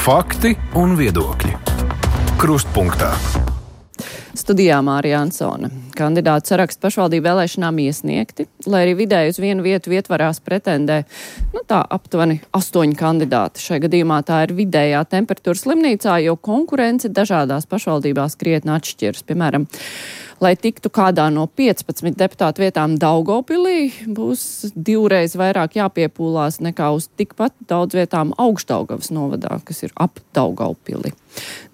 Fakti un viedokļi. Krustpunktā. Studijā Mārija Ansone. Kandidātu sarakstu pašvaldību vēlēšanām iesniegti, lai arī vidēji uz vienu vietu vietvarās pretendē, tā aptuveni 8 kandidāti. Šai gadījumā tā ir vidējā temperatūra slimnīcā, jo konkurence dažādās pašvaldībās krietni atšķiras. Piemēram, lai tiktu kādā no 15 deputātu vietām Daugavpilī, būs 2 reiz vairāk jāpiepūlās nekā uz tikpat daudz vietām Augšdaugavas novadā, kas ir ap Daugavpili.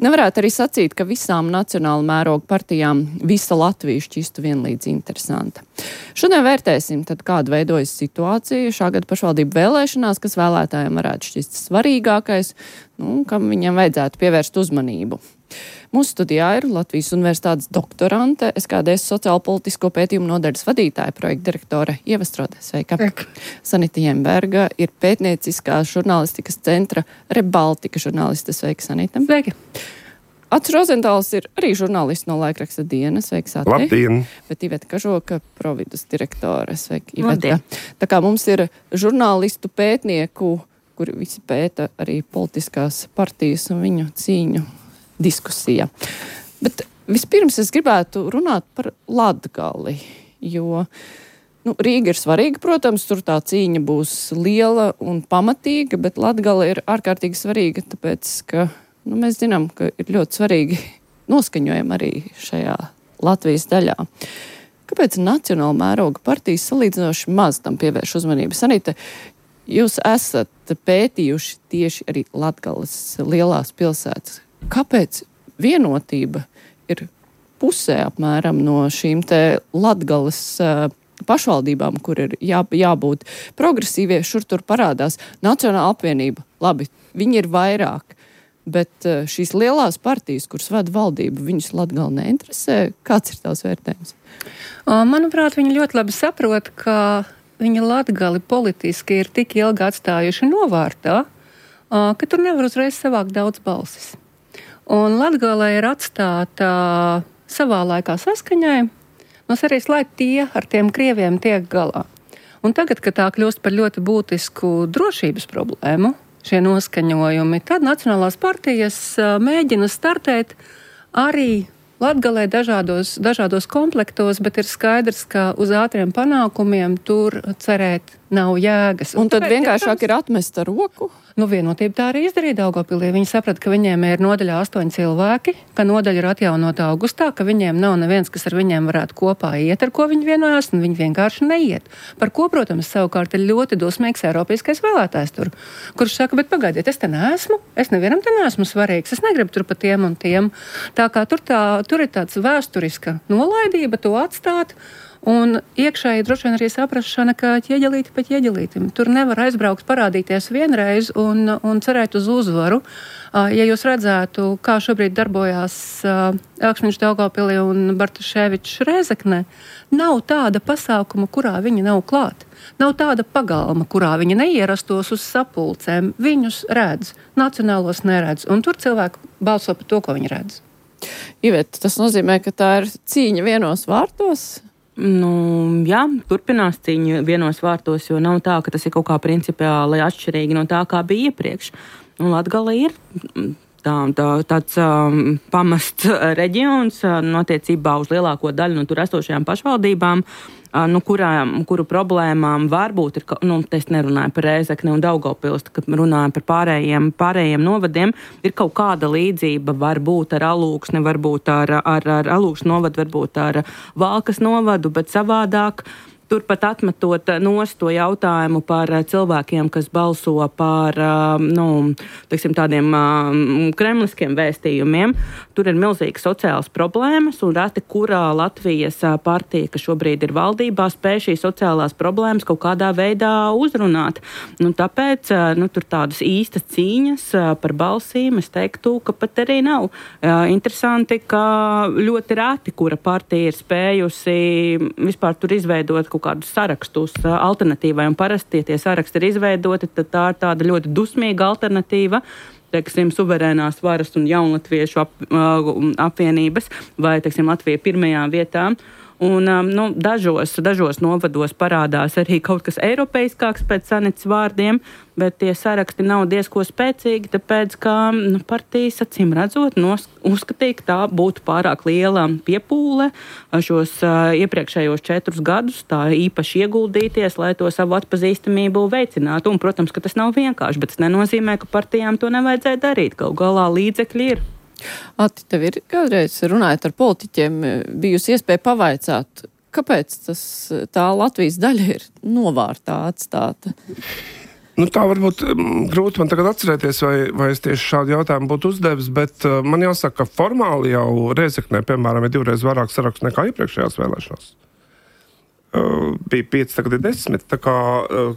Nevarētu arī sacīt, ka visām nacionāla mēroga partijām visa Latvija šķistu vienlīdz interesanta. Šodien vērtēsim, tad kāda veidojas situācija šā gada pašvaldību vēlēšanās, kas vēlētājiem varētu šķist svarīgākais, kam viņiem vajadzētu pievērst uzmanību. Mūsu studijā ir Latvijas Universitātes doktorante, SKDS sociālo-politisko pētījumu nodaļas vadītāja, projekta direktore Ieva Strode. Sveika. Sanita Jemberga ir pētnieciskās žurnālistikas centra Rebaltika žurnāliste. Sveika, Sanita. Sveika. Ats Rozentāls ir arī žurnālists no laikraksta Dienas. Sveika, Sati. Labdien. Bet Iveta Kažoka, Providus direktore. Sveika, Iveta. Tā kā mums ir žurnālistu pētnieku, kuri visi pēta arī politiskās partijas un viņu cīņu diskusija. Bet vispirms es gribētu runāt par Latgali, jo Rīga ir svarīga, protams, tur tā cīņa būs liela un pamatīga, bet Latgala ir ārkārtīgi svarīga, tāpēc, ka mēs zinām, ka ir ļoti svarīgi noskaņojumi arī šajā Latvijas daļā. Kāpēc nacionāla mēroga partijas salīdzinoši maz tam pievērš uzmanību? Sanita, jūs esat pētījuši tieši arī Latgalas lielās pilsētas. Kāpēc vienotība ir pusē apmēram no šīm te Latgalas pašvaldībām, kur ir jābūt progresīvie, šur tur parādās Nacionāla apvienība? Labi, viņi ir vairāk, bet šīs lielās partijas, kuras vada valdību, viņus Latgala neinteresē. Kāds ir tās vērtējums? Manuprāt, viņi ļoti labi saprot, ka viņi Latgali politiski ir tik ilgi atstājuši novārtā, ka tur nevar uzreiz savākt daudz balsis. Un Latgala ir atstāta savā laikā saskaņai, arī lai tie ar tiem krieviem tiek galā. Un tagad, kad tā kļūst par ļoti būtisku drošības problēmu, šie noskaņojumi, tad nacionālās partijas mēģina startēt arī Latgalē dažādos komplektos, bet ir skaidrs, ka uz ātriem panākumiem tur cerēt nav jēgas. Un tad vienkāršāk ir atmest ar roku? Vienotība tā arī izdarīja Daugavpilī. Viņi saprata, ka viņiem ir nodaļā 8 cilvēki, ka nodaļa ir atjaunota augustā, ka viņiem nav neviens, kas ar viņiem varētu kopā iet, ar ko viņi vienojās, un viņi vienkārši neiet. Par ko, protams, savukārt ir ļoti dusmīgs eiropeiskais vēlētājs tur, kurš saka, bet pagaidiet, es te neesmu, es nevienam te neesmu svarīgs, es negribu tur pa tiem un tiem. Tā kā tur ir tāds vēsturiska nolaidība to atstāt, un iekšēji droši vien arī saprašana, ka ķieģelīti pa ķieģelītim. Tur nevar aizbraukt, parādīties vienreiz un cerēt uz uzvaru. Ja jūs redzētu, kā šobrīd darbojās Elkšņš Daugavpilī un Bartaševičs Rēzeknē, nav tāda pasākuma, kurā viņi nav klāt. Nav tāda pagalma, kurā viņi neierastos uz sapulcēm. Viņus redz, nacionālos neredz, un tur cilvēki balso par to, ko viņi redz. Iveta, tas nozīmē, ka tā ir cīņa vienos vārtos? Jā, turpinās cīņa vienos vārtos, jo nav tā, ka tas ir kaut kā principiāli atšķirīgi no tā, kā bija iepriekš. Latgala ir tāds pamests reģions attiecībā uz lielāko daļu no tur esošajām pašvaldībām, kuru problēmām varbūt ir, es nerunāju par Rēzekni un Daugavpils, kad runāju par pārējiem novadiem, ir kaut kāda līdzība, varbūt ar Alūksni, varbūt ar Alūksni novadu, varbūt ar Valkas novadu, bet savādāk. Turpat atmetot nost to jautājumu par cilvēkiem, kas balso par tādiem kremliskiem vēstījumiem. Tur ir milzīgas sociālas problēmas, un reti kurā Latvijas partija, kas šobrīd ir valdībā, spēj šīs sociālās problēmas kaut kādā veidā uzrunāt. Tāpēc tur tādas īstas cīņas par balsīm, es teiktu, ka pat arī nav. Interesanti, ka ļoti reti, kura partija ir spējusi vispār tur izveidot kaut kādus sarakstus alternatīvai, un parasti, ja tie saraksti ir izveidoti, tad tā ir tāda ļoti dusmīga alternatīva, teiksim, suverēnās varas un jaunlatviešu apvienības, vai, teiksim, Latvija pirmajā vietā. Un dažos novados parādās arī kaut kas eiropeiskāks pēc Sanits vārdiem, bet tie saraksti nav diezko spēcīgi, tāpēc, ka partijas acīm redzot uzskatīja, ka tā būtu pārāk liela piepūle šos iepriekšējos 4 gadus tā īpaši ieguldīties, lai to savu atpazīstamību veicinātu. Un, protams, ka tas nav vienkārši, bet tas nenozīmē, ka partijām to nevajadzēja darīt. Galu galā līdzekļi ir. Ati, tev ir kādreiz runājot ar politiķiem bijusi iespēja pavaicāt, kāpēc tā Latvijas daļa ir novārtā atstāta? Tā varbūt grūti man tagad atcerēties, vai es tieši šādu jautājumu būtu uzdevis, bet man jāsaka, ka formāli jau Rēzeknē, piemēram, ir 2 reizes vairāk sarakstu nekā iepriekšējās vēlēšanās. Bija 5, tagad ir 10, tā kā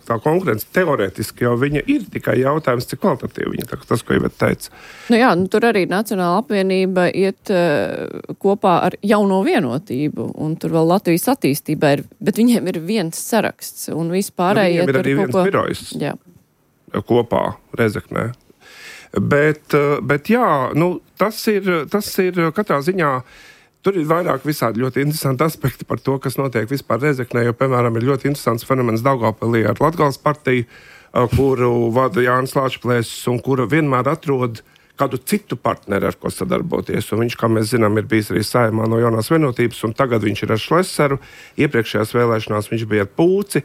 tā konkurence teorētiski jau viņa ir, tikai jautājums, cik kvalitatīvi viņa, tas, ko Iveta teica. Tur arī Nacionāla apvienība iet kopā ar Jauno vienotību, un tur vēl Latvijas attīstībā ir, bet viņiem ir viens saraksts, un vispārējie viņiem ir arī viens birojs kopā Rēzeknē. Bet jā, tas ir katrā ziņā. Tur ir vairāk visādi ļoti interesanti aspekti par to, kas notiek vispār Rēzeknē, jo, piemēram, ir ļoti interesants fenomens Daugavpilī ar Latgales partiju, kuru vada Jānis Lāčplēsis un kura vienmēr atrod kādu citu partneri, ar ko sadarboties. Un viņš, kā mēs zinām, ir bijis arī Saeimā no Jaunās vienotības, un tagad viņš ir ar Šleseru. Iepriekšējās vēlēšanās viņš bija ar Pūci.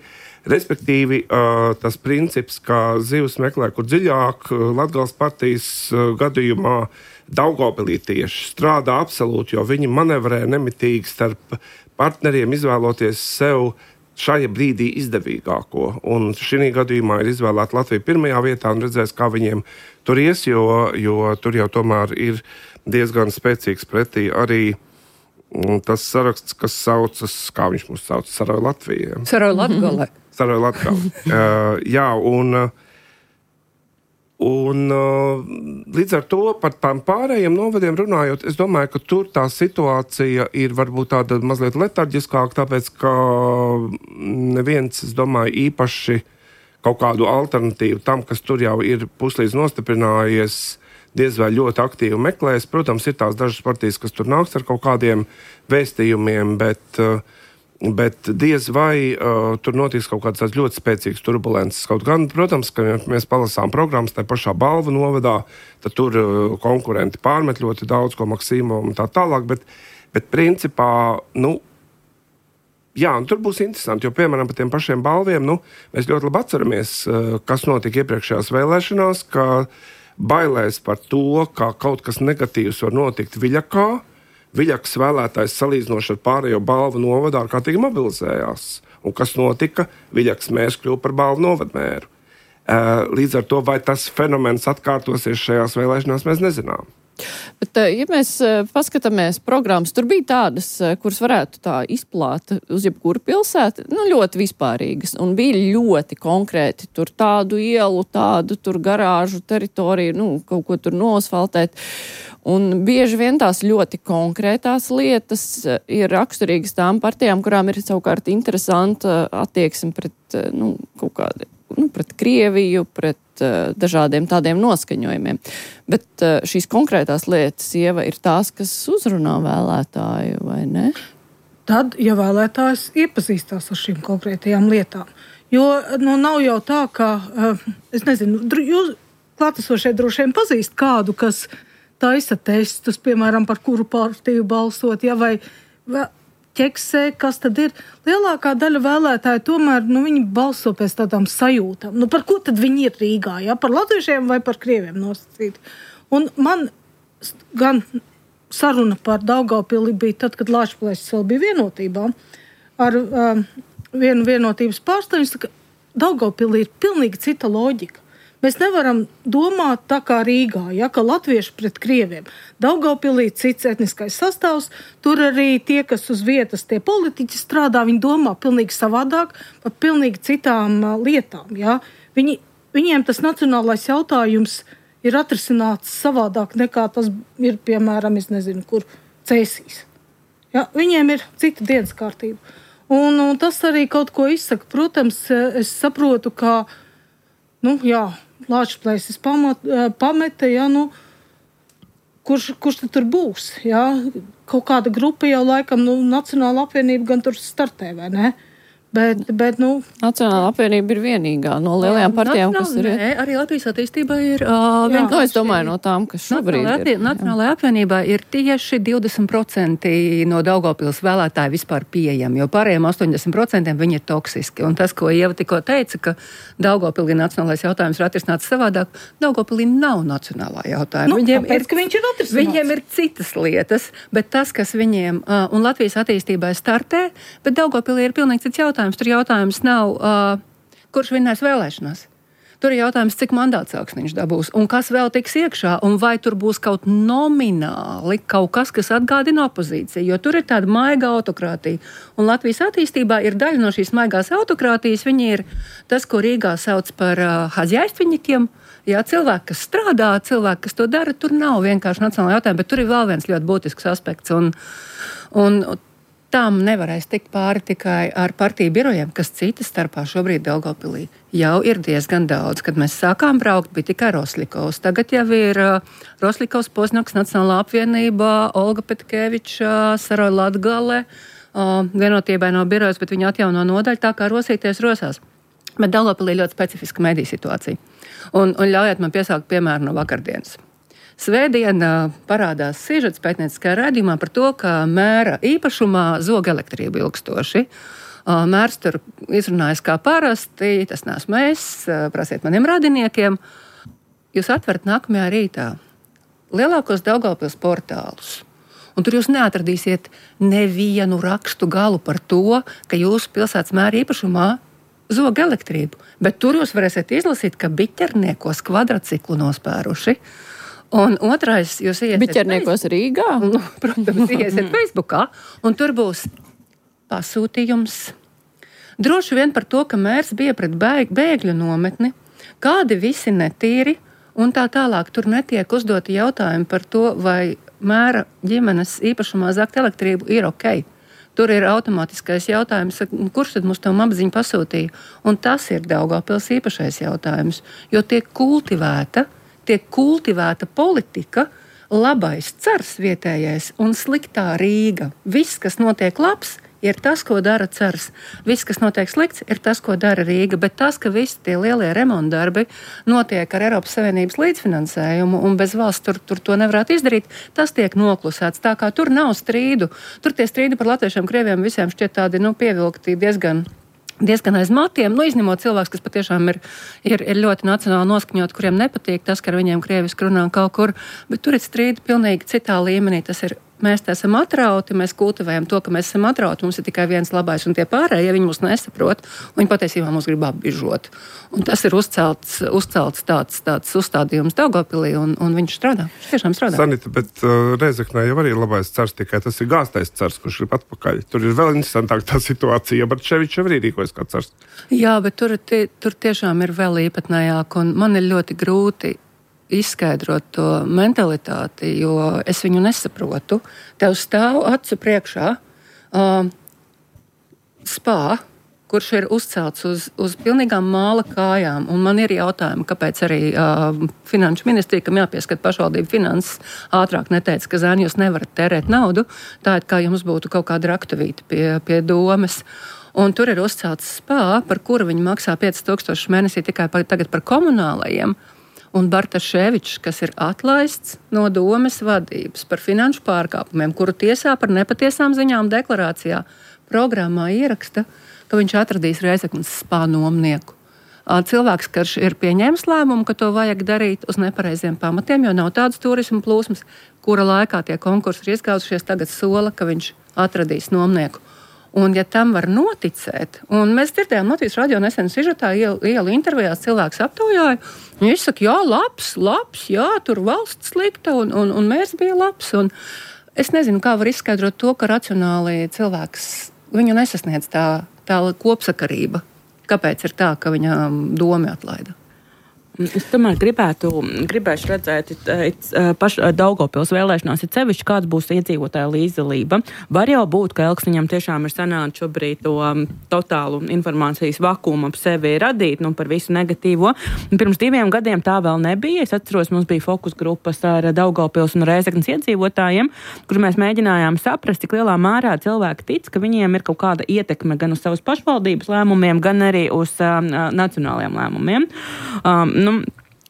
Respektīvi, tas princips, ka zivs meklē, kur dziļāk, Latgales partijas gadījumā Daugavpilī tieši strādā absolūti, jo viņi manevrē nemitīgi starp partneriem, izvēloties sev šajā brīdī izdevīgāko. Un šī gadījumā ir izvēlēta Latvija pirmajā vietā un redzēs, kā viņiem tur ies, jo tur jau tomēr ir diezgan spēcīgs pretī arī tas saraksts, kas saucas, kā viņš mūs sauc, Saroja Latvija. Saroja Latgale. Saroja Latgale. Jā, un līdz ar to par tām pārējiem novadiem runājot, es domāju, ka tur tā situācija ir varbūt tāda mazliet letarģiskāka, tāpēc, ka neviens, es domāju, īpaši kaut kādu alternatīvu tam, kas tur jau ir puslīdz nostiprinājies, diez vai ļoti aktīvi meklēs. Protams, ir tās dažas partijas, kas tur nāks ar kaut kādiem vēstījumiem, bet diez vai tur notiks kaut kāds tāds ļoti spēcīgs turbulences. Kaut gan, protams, ka mēs palasām programmas tajā pašā Balvu novadā, tad tur konkurenti pārmet ļoti daudz, ko Maksīmovam un tā tālāk, bet principā, jā, un tur būs interesanti, jo, piemēram, par tiem pašiem balviem, mēs ļoti labi atceramies, kas notika iepriekšējās vēlēšanās, ka bailēs par to, ka kaut kas negatīvs var notikt Viļakā. Viļakas vēlētājs salīdzinoši ar pārējo Balvu novadā ārkārtīgi mobilizējās. Un kas notika? Viļakas mērs kļuva par Balvu novadmēru. Līdz ar to, vai tas fenomens atkārtosies šajās vēlēšanās, mēs nezinām. Bet, ja mēs paskatāmies programmas, tur bija tādas, kuras varētu tā izplāt uz jebkuru pilsētu, ļoti vispārīgas, un bija ļoti konkrēti tur tādu ielu, tādu tur garāžu teritoriju, kaut ko tur nosfaltēt. Un bieži vien tās ļoti konkrētās lietas ir raksturīgas tām partijām, kurām ir savukārt interesanta attieksme pret, kaut kādi, pret Krieviju, pret dažādiem tādiem noskaņojumiem. Bet šīs konkrētās lietas, Ieva, ir tās, kas uzrunā vēlētāju, vai ne? Tad, ja vēlētājs iepazīstās ar šīm konkrētajām lietām. Jo, nav jau tā, ka, es nezinu, jūs klātesošie droši vien pazīst kādu, kas taisa testus, piemēram, par kuru partiju balsot, vai ķeksē, kas tad ir. Lielākā daļa vēlētāju tomēr, viņi balso pēc tādām sajūtām. Par ko tad viņi ir Rīgā, par latviešiem vai par krieviem nosacīti. Un man gan saruna par Daugavpili bija tad, kad Lāčplēsis vēl bija vienotībā, ar vienu vienotības pārstāvju, ka Daugavpili ir pilnīgi cita loģika. Mēs nevaram domāt tā kā Rīgā, ka latvieši pret krieviem. Daugavpilī cits etniskais sastāvs, tur arī tie, kas uz vietas, tie politiķi strādā, viņi domā pilnīgi savādāk par pilnīgi citām lietām. Ja? Viņiem tas nacionālais jautājums ir atrisināts savādāk nekā tas ir, piemēram, es nezinu, kur Cēsīs. Ja? Viņiem ir cita dienas kārtība. Un tas arī kaut ko izsaka. Protams, es saprotu, ka, Lāčplēsis pameta, kurš tad tur būs? kaut kāda grupa jau laikam, Nacionāla apvienība gan tur startē, vai ne? Bet, Nacionāla apvienība ir vienīgā no lielajām partijām, kas ir. Nē, arī Latvijas attīstībai ir. Es domāju, no tām, kas šobrīd ir. Nacionālajā apvienībā ir tieši 20% no Daugavpils vēlētāji vispār pieejami, jo pārējiem 80% viņi ir toksiski. Un tas, ko Ieva tikko teica, ka Daugavpilī nacionālais jautājums ir atrisināts savādāk, Daugavpilī nav nacionālā jautājuma. Viņiem ir citas lietas, bet tas, kas viņiem un Latvijas attīstībai startē, bet Daugavpilī ir pilnīgi cits jautājums. Tur jautājums nav, kurš vinnēs vēlēšanās. Tur ir jautājums, cik mandāts augsniņš dabūs un kas vēl tiks iekšā un vai tur būs kaut nomināli kaut kas, kas atgādina opozīciju, jo tur ir tāda maiga autokrātija. Un Latvijas attīstībā ir daļa no šīs maigās autokrātijas, viņi ir tas, ko Rīgā sauc par hazjaištviņikiem. Jā, cilvēki, kas strādā, cilvēki, kas to dara, tur nav vienkārši nacionāla jautājuma, bet tur ir vēl viens ļoti būtisks aspekts un tam nevarēs tikt pāri tikai ar partiju birojiem, kas citas starpā šobrīd Daugavpilī jau ir diezgan daudz. Kad mēs sākām braukt, bija tikai Roslikovs. Tagad jau ir Roslikovs, Poznaks, Nacionālā apvienība, Olga Petkeviča, Saroja Latgale, vienotībai nav birojas, bet viņi atjauno nodaļu, tā kā rosīties rosās. Bet Daugavpilī ļoti specifiska mediju situācija. Un ļaujiet man piesaukt piemēru no vakardienas. Svētdien parādās sižets pētnieciskajā raidījumā par to, ka mēra īpašumā zog elektrību ilgstoši. Mērs tur izrunājas kā parasti, tas neesmu es, prasiet maniem radiniekiem. Jūs atverat nākamajā rītā lielākos Daugavpils portālus, un tur jūs neatradīsiet nevienu rakstu galu par to, ka jūsu pilsētas mēra īpašumā zog elektrību, bet tur jūs varēsiet izlasīt, ka biķerniekos kvadrciklu nospēruši. Un otrais, jūs iesiet Biķerniekos Rīgā? Protams, iesiet Facebookā, un tur būs pasūtījums. Droši vien par to, ka mērs bija pret bēgļu nometni, kādi visi netīri, un tā tālāk tur netiek uzdoti jautājumi par to, vai mēra ģimenes īpašumā zakt elektrību ir ok. Tur ir automātiskais jautājums, kurš tad mums to apziņu pasūtīja, un tas ir Daugavpils īpašais jautājums, jo tiek kultivēta politika, labais cars vietējais un sliktā Rīga. Viss, kas notiek labs, ir tas, ko dara cars. Viss, kas notiek slikts, ir tas, ko dara Rīga. Bet tas, ka visi tie lielie remontdarbi notiek ar Eiropas Savienības līdzfinansējumu un bez valsts tur to nevarētu izdarīt, tas tiek noklusēts. Tā kā tur nav strīdu. Tur tie strīdi par latviešiem, krieviem visiem šķiet tādi pievilkti diezgan aiz matiem, izņemot cilvēks, kas patiešām ir ļoti nacionāli noskaņot, kuriem nepatīk tas, ka ar viņiem krieviski runā kaut kur, bet tur ir strīdi pilnīgi citā līmenī. Tas ir, mēs te esam atrauti, mēs kultivējam to, ka mēs esam atrauti, mums ir tikai viens labais, un tie pārējie, ja viņi mūs nesaprot, viņi patiesībā mūs grib apbižot. Un tas ir uzcelts tāds uzstādījums Daugavpilī, un viņš strādā. Viņš tiešām strādā. Sanita, bet Rēzeknē jau arī ir labais cars, tikai tas ir gāztais cars, kurš ir atpakaļ. Tur ir vēl interesantāk tā situācija, Bartševičs jau arī rīkojas kā cars. Jā, bet tur tiešām ir vēl īpatnējāk, un man ir ļoti grūti izskaidrot to mentalitāti, jo es viņu nesaprotu. Tev stāv acu priekšā spā, kurš ir uzcelts uz pilnīgām māla kājām, un man ir jautājumi, kāpēc arī finanšu ministrija, kam jāpieskat pašvaldību finanses, ātrāk neteica, ka zēni jūs nevarat tērēt naudu, tā ir kā jums būtu kaut kāda raktuvīte pie domes. Un tur ir uzcelts spā, par kuru viņi maksā 5000 mēnesī tikai tagad par komunālajiem. Un Bartaševičs, kas ir atlaists no domes vadības par finanšu pārkāpumiem, kuru tiesā par nepatiesām ziņām deklarācijā programmā ieraksta, ka viņš atradīs Reizeknes spā nomnieku. Cilvēks, kurš ir pieņēmis lēmumu, ka to vajag darīt uz nepareiziem pamatiem, jo nav tādas turismu plūsmas, kura laikā tie konkursi ir izgāzušies, tagad sola, ka viņš atradīs nomnieku. Un, ja tam var noticēt, un mēs dzirdējām Latvijas radio nesen sižetā ielu intervijās cilvēks aptaujāja, viņš saka, jā, labs, jā, tur valsts slikta, un mērs bija labs. Un es nezinu, kā var izskaidrot to, ka racionāli cilvēks, viņu nesasniedz tā kopsakarība. Kāpēc ir tā, ka viņa domi atlaida? Es tomēr gribēšu redzēt Daugavpils vēlēšanās, ir sevišķi, kāds būs iedzīvotāja līdzdalība. Var jau būt, ka Elksniņam tiešām ir sanākt šobrīd to totālu informācijas vakumu ap sevi radīt, par visu negatīvo. Pirms 2 gadiem tā vēl nebija. Es atceros, mums bija fokus grupas ar Daugavpils un Rēzeknes iedzīvotājiem, kur mēs mēģinājām saprast, cik lielā mērā cilvēki tic, ka viņiem ir kaut kāda ietekme gan uz savas pašvaldības lēmumiem, gan arī uz nacionālajiem lēmumiem.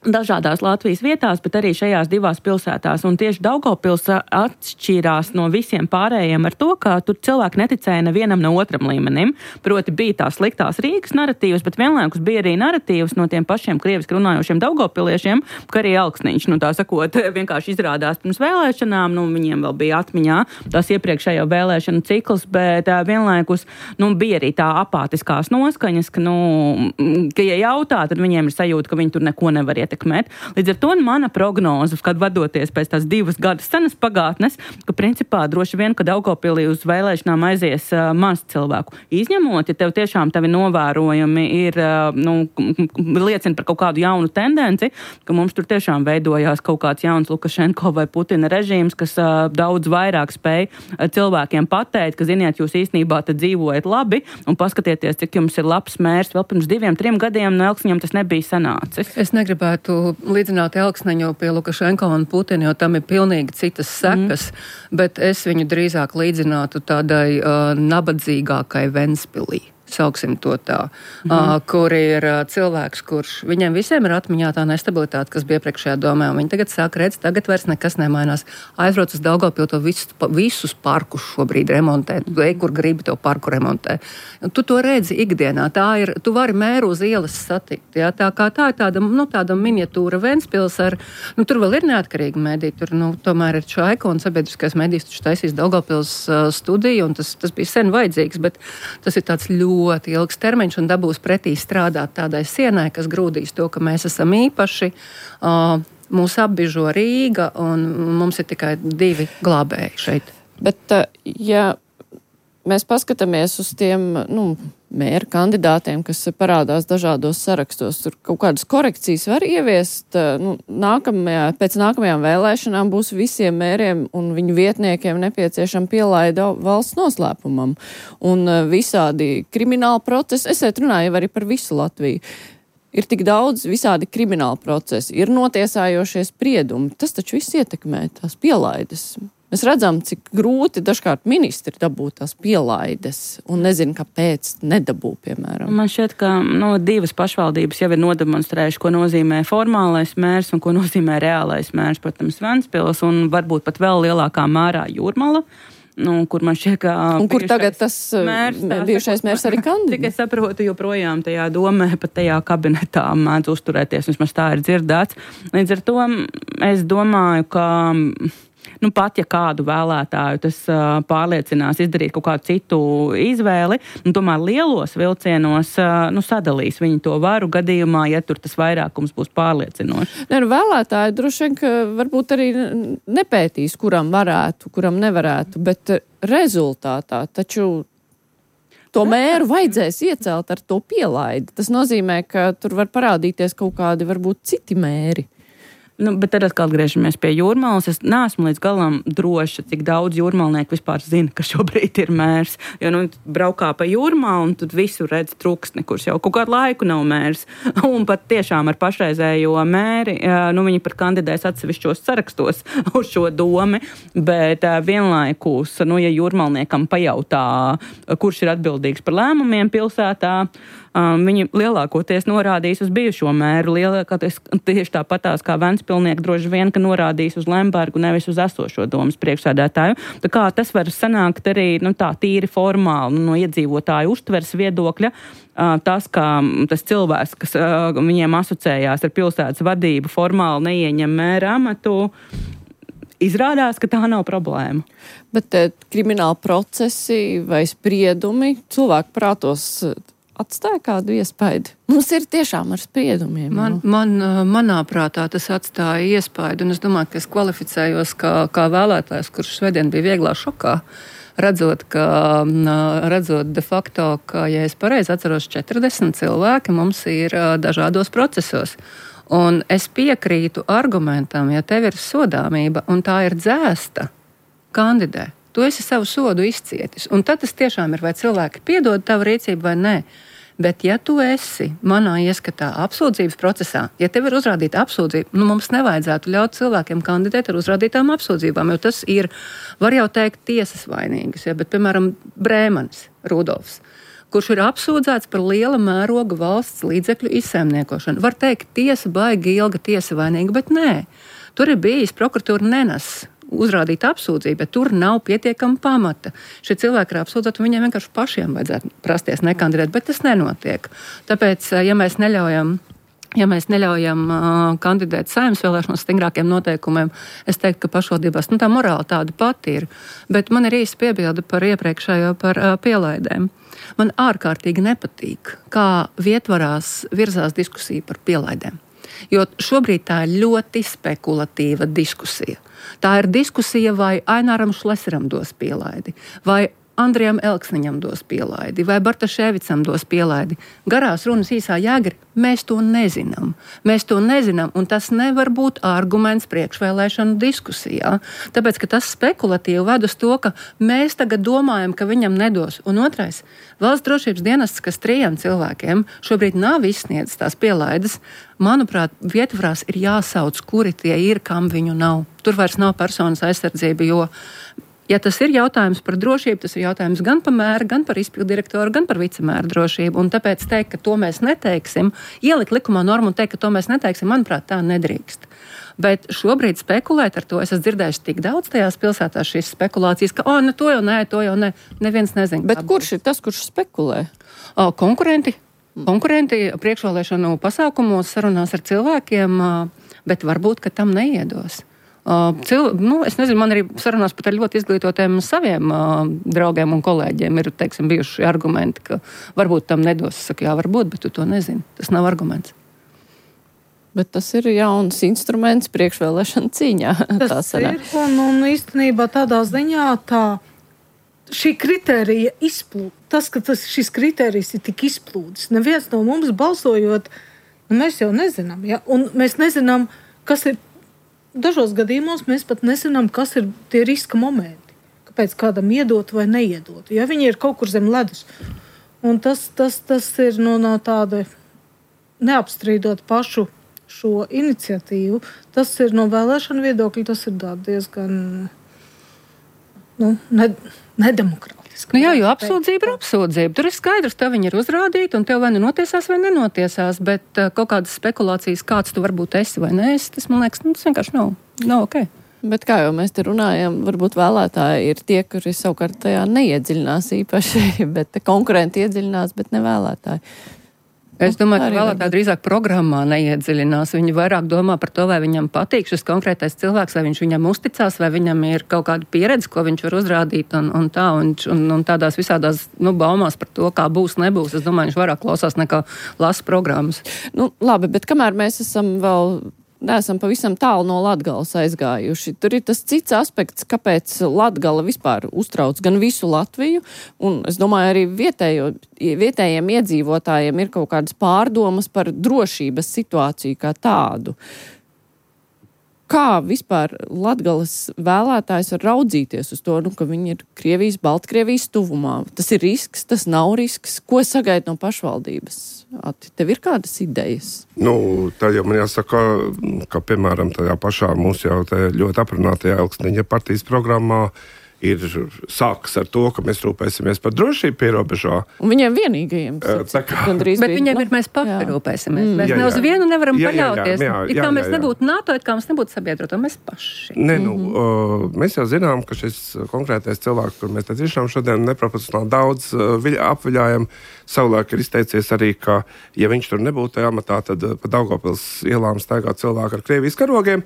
Dažādās Latvijas vietās, bet arī šajās 2 pilsētās. Un tieši Daugavpils atšķīrās no visiem pārējiem ar to, ka tur cilvēki neticēja nevienam no otram līmenim. Proti bija tās sliktās Rīgas naratīvas, bet vienlaikus bija arī naratīvas no tiem pašiem krieviski runājošiem daugavpiliešiem, ka arī Elksniņš, tā sakot, vienkārši izrādās pirms vēlēšanām, viņiem vēl bija atmiņā tās iepriekšējo vēlēšanu cikls, bet vienlaikus, bija arī tā apātiskās noskaņas, ka ja jautā, tad viņiem ir sajūta, ka viņi tur neko nevar ietekmēt. Līdz ar to mana prognoze, kad vadoties pēc tās 2 gadus senas pagātnes, ka principā droši vien, ka Daugavpilī uz vēlēšanām aizies maz cilvēku. Izņemot, ja tev tiešām tavi novērojumi ir, liecina par kaut kādu jaunu tendenci, ka mums tur tiešām veidojās kaut kāds jauns Lukašenko vai Putina režīms, kas daudz vairāk spēj cilvēkiem pateikt, ka, ziniet, jūs īstenībā te dzīvojat labi un paskatieties, cik jums ir labs mērs. Vēl pirms 2-3 gadiem no Elksniņam tas nebija sanācis. Es negribētu līdzināt Elksniņu pie Lukašenko un Putina, jo tam ir pilnīgi citas sekas, bet es viņu drīzāk līdzinātu tādai nabadzīgākai Ventspilī. Sauksim to tā, kur ir cilvēks, kurš viņiem visiem ir atmiņā tā nestabilitāte, kas bija priekšējā domē, un viņi tagad sāk redz, tagad vairs nekas nemainās. Aizbrauc uz Daugavpilu, to visus parkus šobrīd remontē, kur gribi to parku remontē. Tu to redzi ikdienā, tu vari mēru uz ielas satikt, jā, tā ir tāda miniatūra Ventspils ar, tur vēl ir neatkarīgi mediji, tur, tomēr ir Čaika un sabiedriskais medijs, taču taisīs Daugavpils studiju, un tas bija sen vajadzīgs, bet tas ir tāds ļoti ilgs termiņš un dabūs pretī strādāt tādai sienai, kas grūdīs to, ka mēs esam īpaši, mūs apbižo Rīga un mums ir tikai 2 glābēji šeit. Bet, ja mēs paskatāmies uz tiem, mēra kandidātiem, kas parādās dažādos sarakstos, tur kaut kādas korekcijas var ieviest, pēc nākamajām vēlēšanām būs visiem mēriem un viņu vietniekiem nepieciešama pielaida valsts noslēpumam. Un visādi krimināli procesi, es runāju arī par visu Latviju, ir tik daudz visādi krimināli procesi, ir notiesājošie spriedumi, tas taču viss ietekmē tās pielaides. Mēs redzam, cik grūti dažkārt ministri dabūt tās pielaides un nezinu, kāpēc nedabū, piemēram. Man šķiet, ka 2 pašvaldības jau ir nodemonstrējuši, ko nozīmē formālais mērs un ko nozīmē reālais mērs, protams, Ventspils un varbūt pat vēl lielākā mērā Jūrmala. Kur man šķiet, ka... Un kur tagad tas bijušais mērs arī kandidē? Tik es saprotu, joprojām tajā domē, pat tajā kabinetā mēdz uzturēties, vismaz tā ir dzirdēts. Līdz ar to es domāju, ka... pat ja kādu vēlētāju tas pārliecinās izdarīt kaut kādu citu izvēli, tomēr lielos vilcienos sadalīs viņu to varu gadījumā, ja tur tas vairākums būs pārliecinošs. Vēlētāji droši vien, ka varbūt arī nepētīs, kuram varētu, kuram nevarētu, bet rezultātā taču to mēru vajadzēs iecelt ar to pielaidi. Tas nozīmē, ka tur var parādīties kaut kādi varbūt citi mēri. Bet tad atkal atgriežamies pie Jūrmalas. Es neesmu līdz galam droša, cik daudz jūrmalnieku vispār zina, ka šobrīd ir mērs. Jo braukā pa Jūrmalu un tad visur redz truksni, kurš jau kaut kādu laiku nav mērs. Un pat tiešām ar pašreizējo mēri, viņi pat kandidēs atsevišķos sarakstos uz šo domi. Bet vienlaikus, ja jūrmalniekam pajautā, kurš ir atbildīgs par lēmumiem pilsētā, viņi lielākoties norādīs uz bijušo mēru, lielākoties tieši tāpatās kā Ventspilnieki droši vien, ka norādīs uz Lembergu, nevis uz esošo domas priekšsēdētāju. Tā kā tas var sanākt arī tā tīri formāli no iedzīvotāju uztveres viedokļa. Tas, ka tas cilvēks, kas viņiem asociējās ar pilsētas vadību, formāli neieņem mēra amatu, izrādās, ka tā nav problēma. Bet krimināli procesi vai spriedumi cilvēku prātos atstāja kādu iespaidu? Mums ir tiešām ar spriedumiem. Manā prātā tas atstāja iespaidu, un es domāju, ka es kvalificējos kā vēlētājs, kurš svētdien bija vieglā šokā, redzot de facto, ka, ja es pareizi atceros, 40 cilvēki mums ir dažādos procesos. Un es piekrītu argumentam, ja tev ir sodāmība un tā ir dzēsta, kandidē. Tu esi savu sodu izcietis. Un tad tas tiešām ir, vai cilvēki piedod tavu rīcību vai nē. Bet ja tu esi manā ieskatā apsūdzības procesā, ja tev ir uzrādīta apsūdzība, mums nevajadzētu ļaut cilvēkiem kandidēt ar uzrādītām apsūdzībām, jo tas ir, var jau teikt, tiesas vainīgas. Ja? Bet, piemēram, Brēmanis, Rudolfs, kurš ir apsūdzēts par liela mēroga valsts līdzekļu izsaimniekošanu. Var teikt, tiesa baigi ilga, tiesa vainīga, bet nē. Tur ir bijis prokuratūra nenes uzrādīta apsūdzība, bet tur nav pietiekama pamata. Šie cilvēki ir apsūdzēti, un viņiem vienkārši pašiem vajadzētu prasties nekandidēt, bet tas nenotiek. Tāpēc, ja mēs neļaujam kandidēt saimnes vēlēšanās stingrākiem noteikumiem, es teiktu, ka pašvaldībās tā morāla tāda pati ir. Bet man ir īsti piebilde par iepriekšējo par pielaidēm. Man ārkārtīgi nepatīk, kā vietvarās virzās diskusija par pielaidēm. Jo šobrīd tā ir ļoti spekulatīva diskusija. Tā ir diskusija, vai Aināram Šleseram dos pielaidi, vai Andrijam Elksniņam dos pielaidi, vai Bartaševicam dos pielaidi. Garās runas īsā jēga ir, mēs to nezinām. Mēs to nezinām, un tas nevar būt arguments priekšvēlēšanu diskusijā. Tāpēc, ka tas spekulatīvi ved uz to, ka mēs tagad domājam, ka viņam nedos. Un otrais, valsts drošības dienests, kas 3 cilvēkiem šobrīd nav izsniedzis tās pielaides, manuprāt, vietvarās ir jāsauc, kuri tie ir, kam viņu nav. Tur vairs nav personas aizsardzība, jo ja tas ir jautājums par drošību, tas ir jautājums gan par mēru, gan par izpildirektoru, gan par vicemēru drošību. Un tāpēc teikt, ka to mēs neteiksim, ielikt likumā normu un teikt, ka to mēs neteiksim, manuprāt, tā nedrīkst. Bet šobrīd spekulēt ar to, es esmu dzirdējuši tik daudz tajās pilsētās šīs spekulācijas, ka to jau nē, neviens nezina. Bet kurš ir tas, kurš spekulē? Konkurenti priekšvēlēšanu pasākumos sarunās ar cilvēkiem, bet varbūt, ka tam neiedos. Es nezinu, man arī sarunās pat ar ļoti izglītotiem saviem draugiem un kolēģiem ir, bijuši argumenti, ka varbūt tam nedos. Es saku, jā, varbūt, bet tu to nezini. Tas nav arguments. Bet tas ir jauns instruments priekšvēlēšana cīņā. Tas ir, un īstenībā tādā ziņā šī kritērija izplūd. Tas, ka šis kritērijs ir tik izplūdis. Neviens no mums balsojot, mēs jau nezinām. Ja? Un mēs nezinām, kas ir. Dažos gadījumos mēs pat nezinām, kas ir tie riska momenti. Kāpēc kādam iedot vai neiedot. Ja viņi ir kaut kur zem ledus. Un tas ir no tāda neapstrīdot pašu šo iniciatīvu. Tas ir no vēlēšanu viedokļa, tas ir diezgan nedemokrātiski. Jā, jo apsūdzība ir apsūdzība. Tur ir skaidrs, tev viņi ir uzrādīti, un tev vai nu notiesās vai nenotiesās, bet kaut kādas spekulācijas, kāds tu varbūt esi vai neesi, tas, man liekas, tas vienkārši nav ok. Bet kā jau mēs te runājam, varbūt vēlētāji ir tie, kuri savukārt tajā neiedziļinās īpaši, bet konkurenti iedziļinās, bet ne vēlētāji. Es domāju, ka vēlētāji drīzāk programmā neiedziļinās. Viņi vairāk domā par to, vai viņam patīk šis konkrētais cilvēks, vai viņš viņam uzticās, vai viņam ir kaut kāda pieredze, ko viņš var uzrādīt un tādās visādās baumās par to, kā būs, nebūs. Es domāju, viņš vairāk klausās nekā lasa programmas. Labi, bet kamēr mēs neesam pavisam tālu no Latgales aizgājuši. Tur ir tas cits aspekts, kāpēc Latgala vispār uztrauc gan visu Latviju, un es domāju, arī vietējiem iedzīvotājiem ir kaut kādas pārdomas par drošības situāciju kā tādu. Kā vispār Latgales vēlētājs var raudzīties uz to, ka viņi ir Krievijas, Baltkrievijas tuvumā? Tas ir risks, tas nav risks. Ko sagaida no pašvaldības? Tev ir kādas idejas? Tā jau man jāsaka, ka, piemēram, tajā pašā mūsu jau ļoti aprunātajā Elksniņa partijas programmā ir sākas ar to, ka mēs rūpēsimies par drošību pierobežā. Un viņiem vienīgajiem. Bet viņiem ir mēs paši rūpēsimies. Mēs ne uz vienu nevaram paļauties. Kā mēs nebūtu NATO, kā mēs nebūtu sabiedroto, mēs paši. Mēs jau zinām, ka šis konkrētais cilvēks, kur mēs tiešām šodien neproporcionāli daudz apviļājam, savulaik ir izteicies arī, ka, ja viņš tur nebūtu tajā amatā, tad pa Daugavpils ielām staigā cilvēki ar Krievijas karogiem.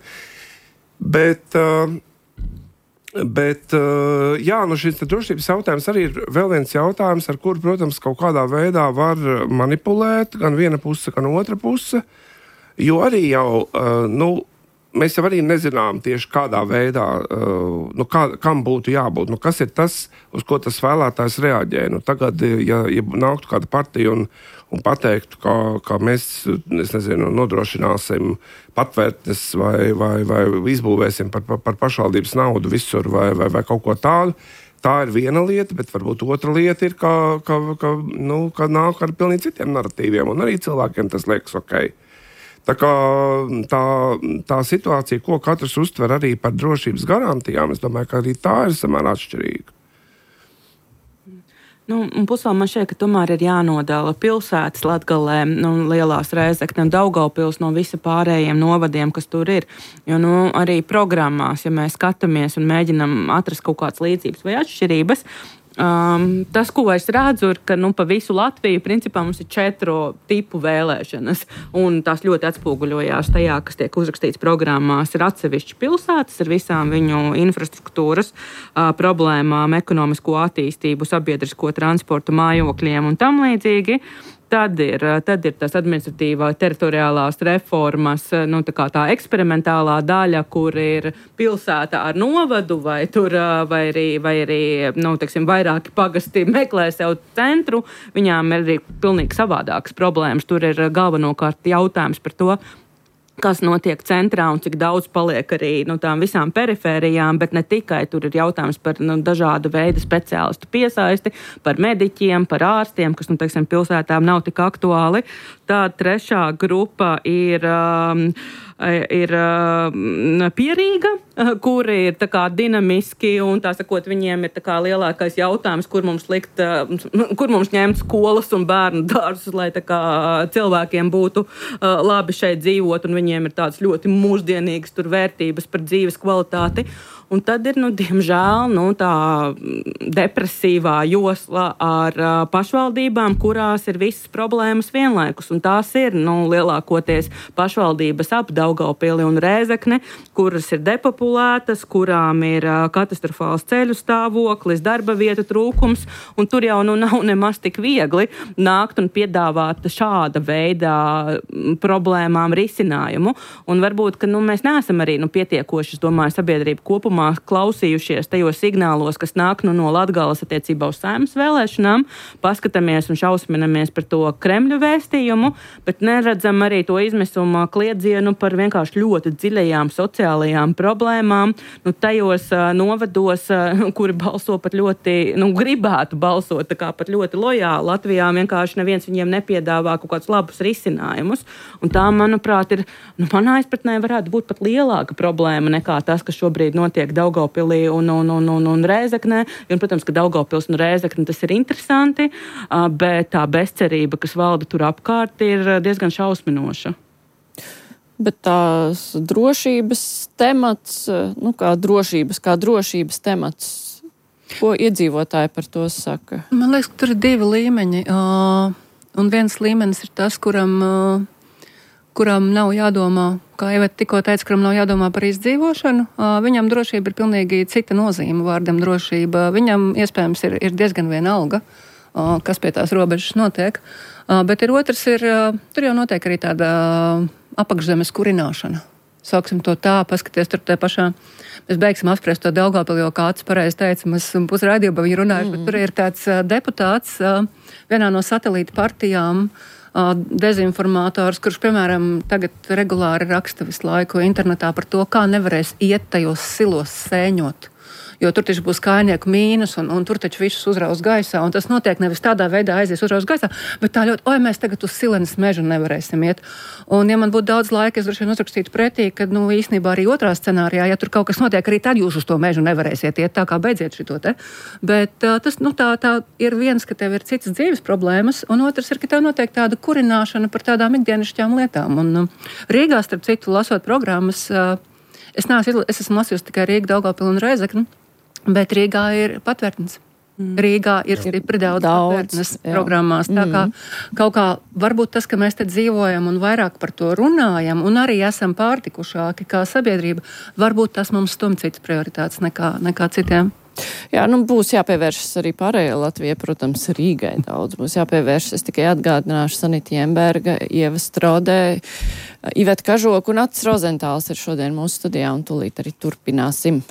Bet šis drošības jautājums arī ir vēl viens jautājums, ar kuru, protams, kaut kādā veidā var manipulēt gan viena puse, gan otra puse, jo arī jau, mēs jau arī nezinām tieši kādā veidā, kam būtu jābūt. Kas ir tas, uz ko tas vēlētājs reaģē? Tagad, ja nāktu kāda partija un pateiktu, ka mēs, nodrošināsim patvērtnes vai izbūvēsim par pašvaldības naudu visur vai kaut ko tādu, tā ir viena lieta, bet varbūt otra lieta ir, ka nāk ar pilnīgi citiem narratīviem, un arī cilvēkiem tas liekas ok. Tā kā tā situācija, ko katrs uztver arī par drošības garantijām, es domāju, ka arī tā ir samērā atšķirīga. Pusvēl man šķiet, ka tomēr ir jānodala pilsētas Latgalē, Lielās Rēzekne un Daugavpils no visa pārējiem novadiem, kas tur ir. Jo arī programmās, ja mēs skatāmies un mēģinam atrast kaut kādas līdzības vai atšķirības, tas, ko es redzu, ir, ka pa visu Latviju principā mums ir 4 tipu vēlēšanas, un tās ļoti atspoguļojās tajā, kas tiek uzrakstīts programmās. Ir atsevišķi pilsētas ar visām viņu infrastruktūras problēmām, ekonomisko attīstību, sabiedrisko transportu, mājokļiem un tam līdzīgi. Tad ir tas administratīvā teritoriālās reformas, tā eksperimentālā daļa, kur ir pilsēta ar novadu, vai arī vairāki pagasti meklē sev centru. Viņām ir arī pilnīgi savādākas problēmas. Tur ir galvenokārt jautājums par to, kas notiek centrā un cik daudz paliek arī tām visām perifērijām, bet ne tikai. Tur ir jautājums par dažādu veidu speciālistu piesaisti, par mediķiem, par ārstiem, kas, pilsētām nav tik aktuāli. Tā trešā grupa ir Pierīga, kuri ir dinamiski un viņiem ir lielākais jautājums, kur mums ņemt skolas un bērnu dārzus, lai cilvēkiem būtu labi šeit dzīvot, un viņiem ir tādas ļoti mūsdienīgas vērtības par dzīves kvalitāti. Un tad ir, diemžēl, tā depresīvā josla ar pašvaldībām, kurās ir visas problēmas vienlaikus. Un tās ir, lielākoties pašvaldības ap Daugavpili un Rēzekni, kuras ir depopulētas, kurām ir katastrofāls ceļu stāvoklis, darba vietu trūkums, un tur jau nav nemaz tik viegli nākt un piedāvāt šāda veida problēmām risinājumu. Un varbūt, ka mēs neesam arī pietiekoši, es domāju, sabiedrība kopumā klausījušies tajos signālos, kas nāk no Latgales attiecībā uz Saeimas vēlēšanām, paskatāmies un šausminamies par to Kremļa vēstījumu, bet neredzam arī to izmisuma kliedzienu par vienkārši ļoti dziļajām sociālajām problēmām, tajos novados, kuri balso pat ļoti, gribētu balsot pat ļoti lojāli. Latvijā vienkārši neviens viņiem nepiedāvā kaut kādus labus risinājumus, un tā, manuprāt, ir, manā izpratnē varētu būt pat lielāka problēma nekā tas, kas šobrīd notiek Daugavpilī un Rēzeknē. Un, protams, ka Daugavpils un Rēzekne tas ir interesanti, bet tā bezcerība, kas valda tur apkārt, ir diezgan šausminoša. Bet tās drošības temats, kā drošības temats, ko iedzīvotāji par to saka? Man liekas, ka tur ir 2 līmeņi. Un viens līmenis ir tas, kuram nav jādomā, kā Iveta tikko teica, kuram nav jādomā par izdzīvošanu. Viņam drošība ir pilnīgi cita nozīme vārdam drošība. Viņam iespējams ir diezgan vienalga, kas pie tās robežas notiek. Bet otrs ir, tur jau notiek arī tāda apakšzemes kurināšana. Sauksim to tā, paskaties tur te pašā. Mēs beigsim apspriest to Daugavpili, jo kāds pareizi teica, mēs pusraidījumā viņu runājuši, bet tur ir tāds deputāts vienā no satelīta partijām, dezinformātors, kurš, piemēram, tagad regulāri raksta visu laiku internetā par to, kā nevarēs iet tajos silos sēņot. Jo tur taču būs kājnieku mīnus, un tur taču visus uzrauz gaisā, un tas notiek nevis tādā veidā aizies uzrauz gaisā, bet tā ļoti, mēs tagad uz Silenes mežu nevarēsim iet. Un, ja man būtu daudz laika, es droši vien uzrakstītu pretī, ka, īstenībā arī otrā scenārijā, ja tur kaut kas notiek, arī tad jūs uz to mežu nevarēsiet iet, tā kā beidziet šito te. Bet tas, tā ir viens, ka tev ir citas dzīves problēmas, un otrs ir, ka tev notiek tāda kurināšana par tādām ikdienišķām lietām. Un Rīgā, starp citu, lasot programmas, es esmu lasījusi tikai Rīga, Daugavpili un Rēzekni, bet Rīgā ir patvērtnes. Rīgā ir stipri daudz patvērtnes programmās. Tā kā kaut kā varbūt tas, ka mēs te dzīvojam un vairāk par to runājam un arī esam pārtikušāki kā sabiedrība, varbūt tas mums stum citas prioritātes nekā citiem. Jā, būs jāpievēršas arī pārējai Latvijai, protams, Rīgai daudz. Būs jāpievēršas, es tikai atgādināšu Sanita Jemberga, Ieva Strodē, Iveta Kažoka un Atis Rozentāls ir šodien mūsu studijā un tūlīt arī turpināsim.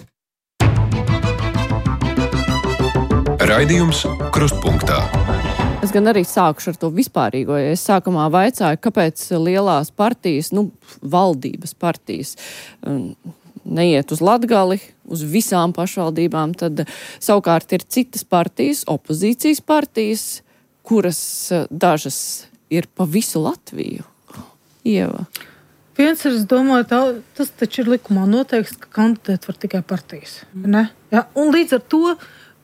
Raidījums Krustpunktā. Es gan arī sākušu ar to vispārīgo, ja es sākumā vaicāju, kāpēc lielās partijas, valdības partijas neiet uz Latgali, uz visām pašvaldībām, tad savukārt ir citas partijas, opozīcijas partijas, kuras dažas ir pa visu Latviju. Ieva. Viens ir, es domāju, tas taču ir likumā noteikts, ka kandidēt var tikai partijas. Ne? Ja? Un līdz ar to,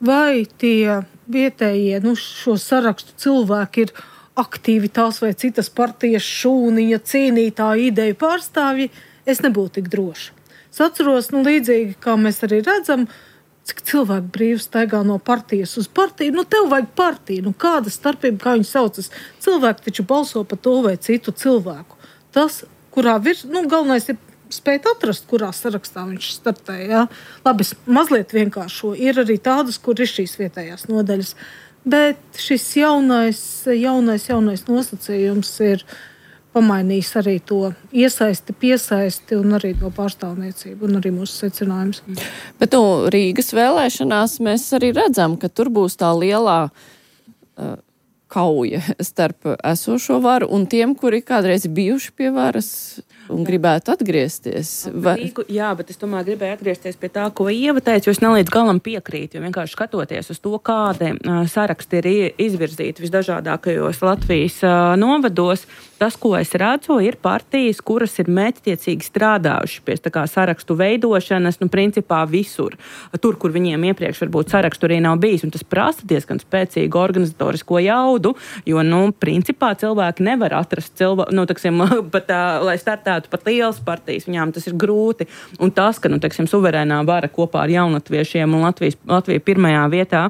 vai tie vietējie, šo sarakstu cilvēki ir aktīvi tās vai citas partijas šūniņa, cīnītāji, ideju pārstāvji, es nebūtu tik droša. Es atceros, līdzīgi, kā mēs arī redzam, cik cilvēki brīvi staigā no partijas uz partiju. Tev vajag partiju, kāda starpība, kā viņi saucas. Cilvēki taču balso par to vai citu cilvēku. Tas, kurā galvenais ir spēt atrast, kurā sarakstā viņš startē. Ja? Labi, mazliet vienkāršo. Ir arī tādas, kur ir šīs vietējās nodaļas. Bet šis jaunais nosacījums ir pamainījis arī to iesaisti, piesaisti un arī to pārstāvniecību un arī mūsu secinājums. Bet Rīgas vēlēšanās mēs arī redzam, ka tur būs tā lielā kauja starp esošo varu un tiem, kuri kādreiz bijuši pie varas un gribētu atgriezties. Jā, bet es tomēr gribēju atgriezties pie tā, ko Ieva teica, jo es nelīdz galam piekrītu, jo vienkārši skatoties uz to, kādi saraksti ir izvirzīti visdažādākajos Latvijas novados, tas, ko es redzu, ir partijas, kuras ir mērķtiecīgi strādājuši pie sarakstu veidošanas, principā visur. Tur, kur viņiem iepriekš varbūt sarakstu arī nav bijis, un tas prasa diezgan spēcīgu organizatorisko jaudu, jo, principā cilvēki nevar atrast lai startētu pat lielas partijas, viņām tas ir grūti. Un tas, ka, suverēnā vara kopā ar jaunlatviešiem un Latvija pirmajā vietā,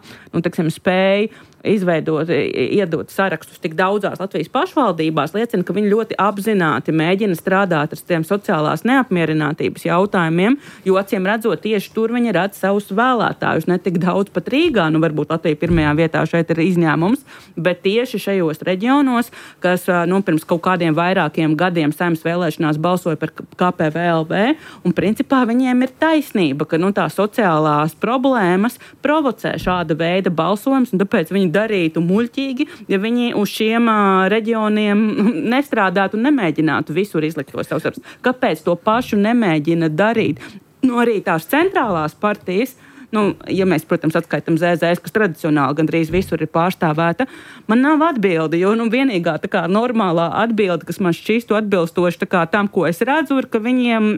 spēja iedot sarakstus tik daudzās Latvijas pašvaldībās, liecina, ka viņi ļoti apzināti mēģina strādāt ar tiem sociālās neapmierinātības jautājumiem, jo acīm redzot tieši tur viņi redz savus vēlētājus, ne tik daudz pat Rīgā, varbūt Latvija pirmajā vietā šeit ir izņēmums, bet tieši šajos reģionos, kas pirms kaut kādiem vairākiem gadiem Saeimas vēlēšanās balsoja par KPVLV, un principā viņiem ir taisnība, ka tās sociālās problēmas provocē šāda veida balsojums, un tāpēc viņi darītu muļķīgi, ja viņi uz šiem reģioniem nestrādātu un nemēģinātu visur izlikt to savus darbus. Kāpēc to pašu nemēģina darīt? Arī tās centrālās partijas, ja mēs, protams, atskaitam ZZS, kas tradicionāli gandrīz visur ir pārstāvēta, man nav atbildi, jo vienīgā normālā atbilde, kas man šķīstu atbilstoši tam, ko es redzu, ir, ka viņiem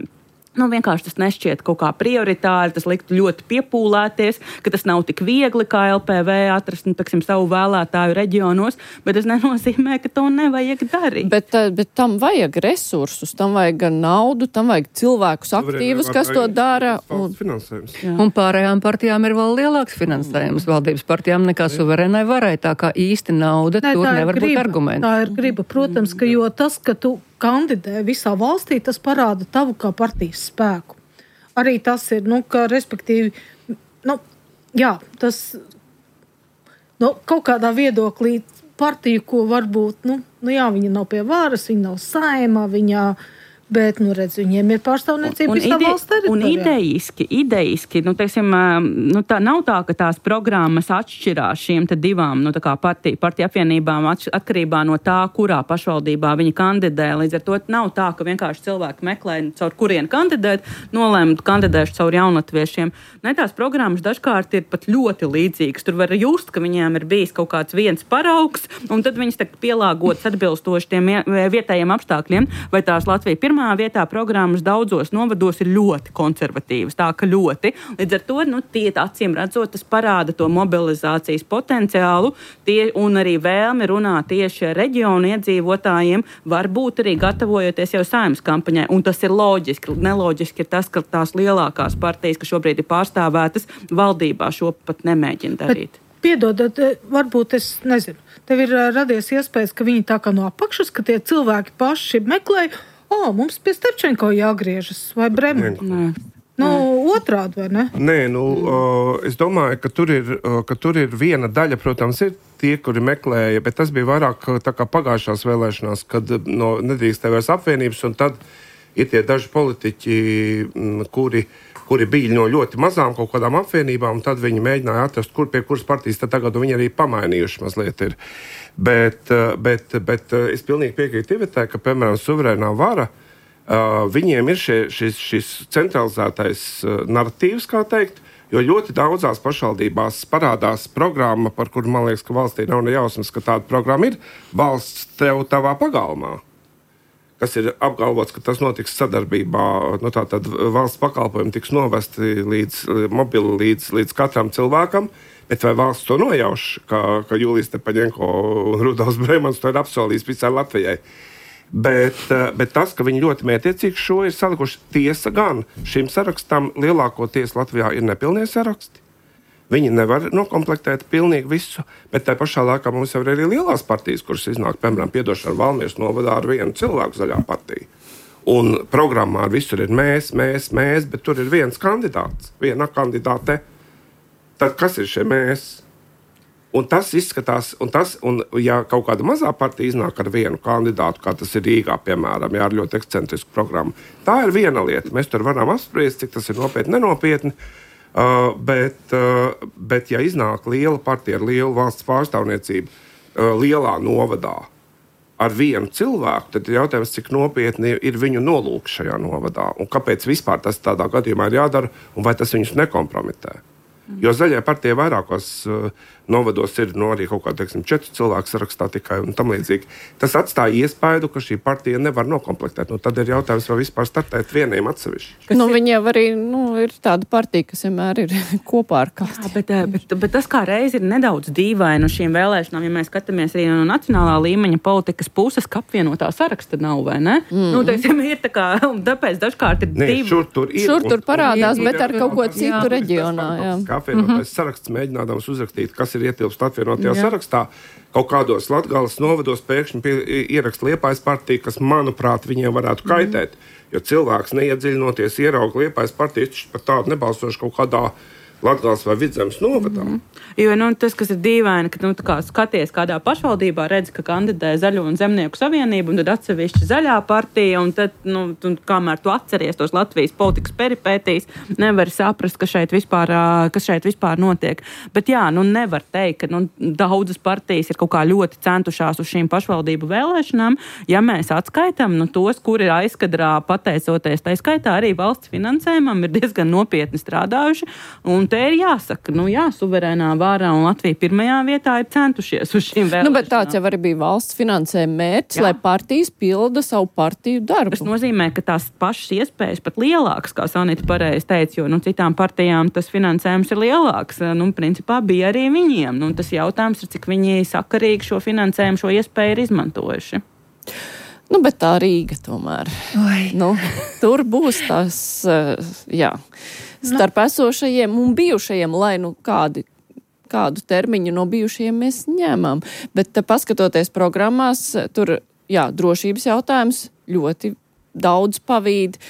vienkārši tas nešķiet kaut kā prioritāri, tas liktu ļoti piepūlēties, ka tas nav tik viegli kā LPV atrast, savu vēlētāju reģionos, bet tas nenozīmē, ka to nevajag darīt. Bet tam vajag resursus, tam vajag gan naudu, tam vajag cilvēkus aktīvus, kas to dara. Un pārējām partijām ir vēl lielāks finansējums valdības partijām nekā suverēnai varai, tā kā īsti nauda tur nevar būt arguments. Tā ir griba, protams, ka jo tas, ka tu kandidē visā valstī, tas parāda tavu kā partijas spēku. Arī tas ir, ka respektīvi, tas kaut kādā viedoklī partiju, ko varbūt, viņa nav pie varas, viņa nav Saeimā, bet, viņiem ir pārstāvniecība visā valsts teritorijā. Un idejiski, tā nav tā, ka tās programmas atšķirās šiem te divām, partiju apvienībām atkarībā no tā, kurā pašvaldībā viņi kandidē. Līdz ar to nav tā, ka vienkārši cilvēki meklē, caur kurien kandidēt, nolēma kandidēšu caur jaunatviešiem. Tās programmas dažkārt ir pat ļoti līdzīgas. Tur var just, ka viņiem ir bijis kaut kāds viens paraugs, un tad viņas pielāgotas atbilstoši tiem vietējiem apstākļiem, vai tās Latvija pirmā vietā programmas daudzos novados ir ļoti konservatīvas, tā ka ļoti. Līdz ar to, tie acīm redzot, tas parāda to mobilizācijas potenciālu, un arī vēlmi runāt tieši ar reģionu iedzīvotājiem, varbūt arī gatavojoties jau Saeimas kampaņai, un tas ir loģiski. Neloģiski ir tas, ka tās lielākās partijas, kas šobrīd ir pārstāvētas, valdībā šo pat nemēģina darīt. Piedodat, varbūt es nezinu, tev ir radies iespējas, ka viņi tā kā no apakšas, ka tie cilvēki paši meklē, mums pie Stepčenko jāgriežas vai Bremeni. Otrādi, vai ne? Nē, es domāju, ka tur ir viena daļa, protams, ir tie, kuri meklēja, bet tas bija vairāk tā kā pagājušās vēlēšanās, kad nedrīkstēja vairs apvienības, un tad ir tie daži politiķi, kuri bija no ļoti mazām kaut kādām apvienībām, un tad viņi mēģināja atrast, pie kuras partijas tad tagad viņi arī pamainījuši mazliet ir. Bet es pilnīgi piekrītu Ivetai, ka, piemēram, suverēnā vara, viņiem ir šis centralizētais narratīvs, kā teikt, jo ļoti daudzās pašvaldībās parādās programma, par kuru, man liekas, ka valstī nav ne jausmas, ka tāda programma ir valsts tev tavā pagalmā, kas ir apgalvots, ka tas notiks sadarbībā, tātad valsts pakalpojumi tiks novesti līdz katram cilvēkam, bet vai valsts to nojauš, ka Jūlijas Stepaņenko un Rudolfs Bremans to ir apsolījis visai Latvijai. Bet tas, ka viņi ļoti mētiecīgi šo ir salikuši, tiesa gan šim sarakstam lielākoties Latvijā ir nepilnie saraksti. Viņi nevar nokomplektēt pilnīgi visu, bet tā pašā laikā mums jau ir arī lielās partijas, kuras iznāk, piemēram, piedošana Valmieras novadā ar vienu cilvēku Zaļā partija. Un programmā visur ir mēs, bet tur ir viens kandidāts, viena kandidāte. Tad kas ir šie mēs? Un tas izskatās, un ja kaut kāda mazā partija iznāk ar vienu kandidātu, kā tas ir Rīgā, piemēram, ar ļoti ekscentrisku programmu, tā ir viena lieta. Mēs tur varam apspriest, cik tas ir nopietni, nenopietni, bet ja iznāk liela partija ar lielu valsts pārstāvniecību lielā novadā ar vienu cilvēku, tad ir jautājums, cik nopietni ir viņu nolūk šajā novadā, un kāpēc vispār tas tādā gadījumā ir jādara, un vai tas viņus nekompromitē. Jo Zaļajai partijai vairākos novados ir arī kaut kā, 4 cilvēku sarakstā tikai un tam līdzīgi. Tas atstāja iespaidu, ka šī partija nevar nokomplektēt. Tad ir jautājums, vai vispār startēt vieniem atsevišķi. Viņi jau arī ir tāda partija, kas vienmēr ir kopā ar kādu. Bet tas kā reiz ir nedaudz dīvaini šīm vēlēšanām, ja mēs skatāmies arī no nacionālā līmeņa politikas puses, ka apvienotā saraksta nav, vai ne? Teiksim, ir tā kā, tāpēc dažkārt ir divi. Šur tur parādās, bet ar kaut ko citu reģionā. Jā. Apvienotais saraksts mēģinādams uzrakstīt, kas ir ietilpst apvienotajā sarakstā. Kaut kādos Latgales novados pēkšņi ieraksta Liepājas partija, kas, manuprāt, viņiem varētu kaitēt. Jo cilvēks neiedziļinoties ierauga Liepājas partiju, viņš pat tādu nebalsošu kaut kādā Latgales vai Vidzemes novadā. Jo tas, kas ir dīvaini, ka kā skaties kādā pašvaldībā, redz, ka kandidē Zaļo un Zemnieku savienību, un tad atsevišķi Zaļā partija, un tad, kamēr tu atceries tos Latvijas politikas peripētīs, nevar saprast, kas šeit vispār notiek. Bet nevar teikt, ka daudzas partijas ir kaut kā ļoti centušās uz šīm pašvaldību vēlēšanām, ja mēs atskaitam tos, kuri ir aizkadrā pateicoties, tā skaitā arī valsts finansējumam, ir diezgan nopietni strādājuši, un te ir jāsaka, suverēnā vārā un Latvija pirmajā vietā ir centušies uz šīm vēlēšanām. Bet tāds jau arī bija valsts finansējuma mērķis, lai partijas pilda savu partiju darbu. Tas nozīmē, ka tās pašas iespējas pat lielākas, kā Sanita pareizi teica, jo citām partijām tas finansējums ir lielāks. Principā bija arī viņiem. Tas jautājums ir, cik viņi sakarīgi šo finansējumu, šo iespēju ir izmantojuši. Bet tā Rīga tomēr. Tur būs tās, starp esošajiem un bijušajiem, lai kādu termiņu no bijušajiem mēs ņēmām. Bet paskatoties programmās, tur, drošības jautājums ļoti daudz pavīd.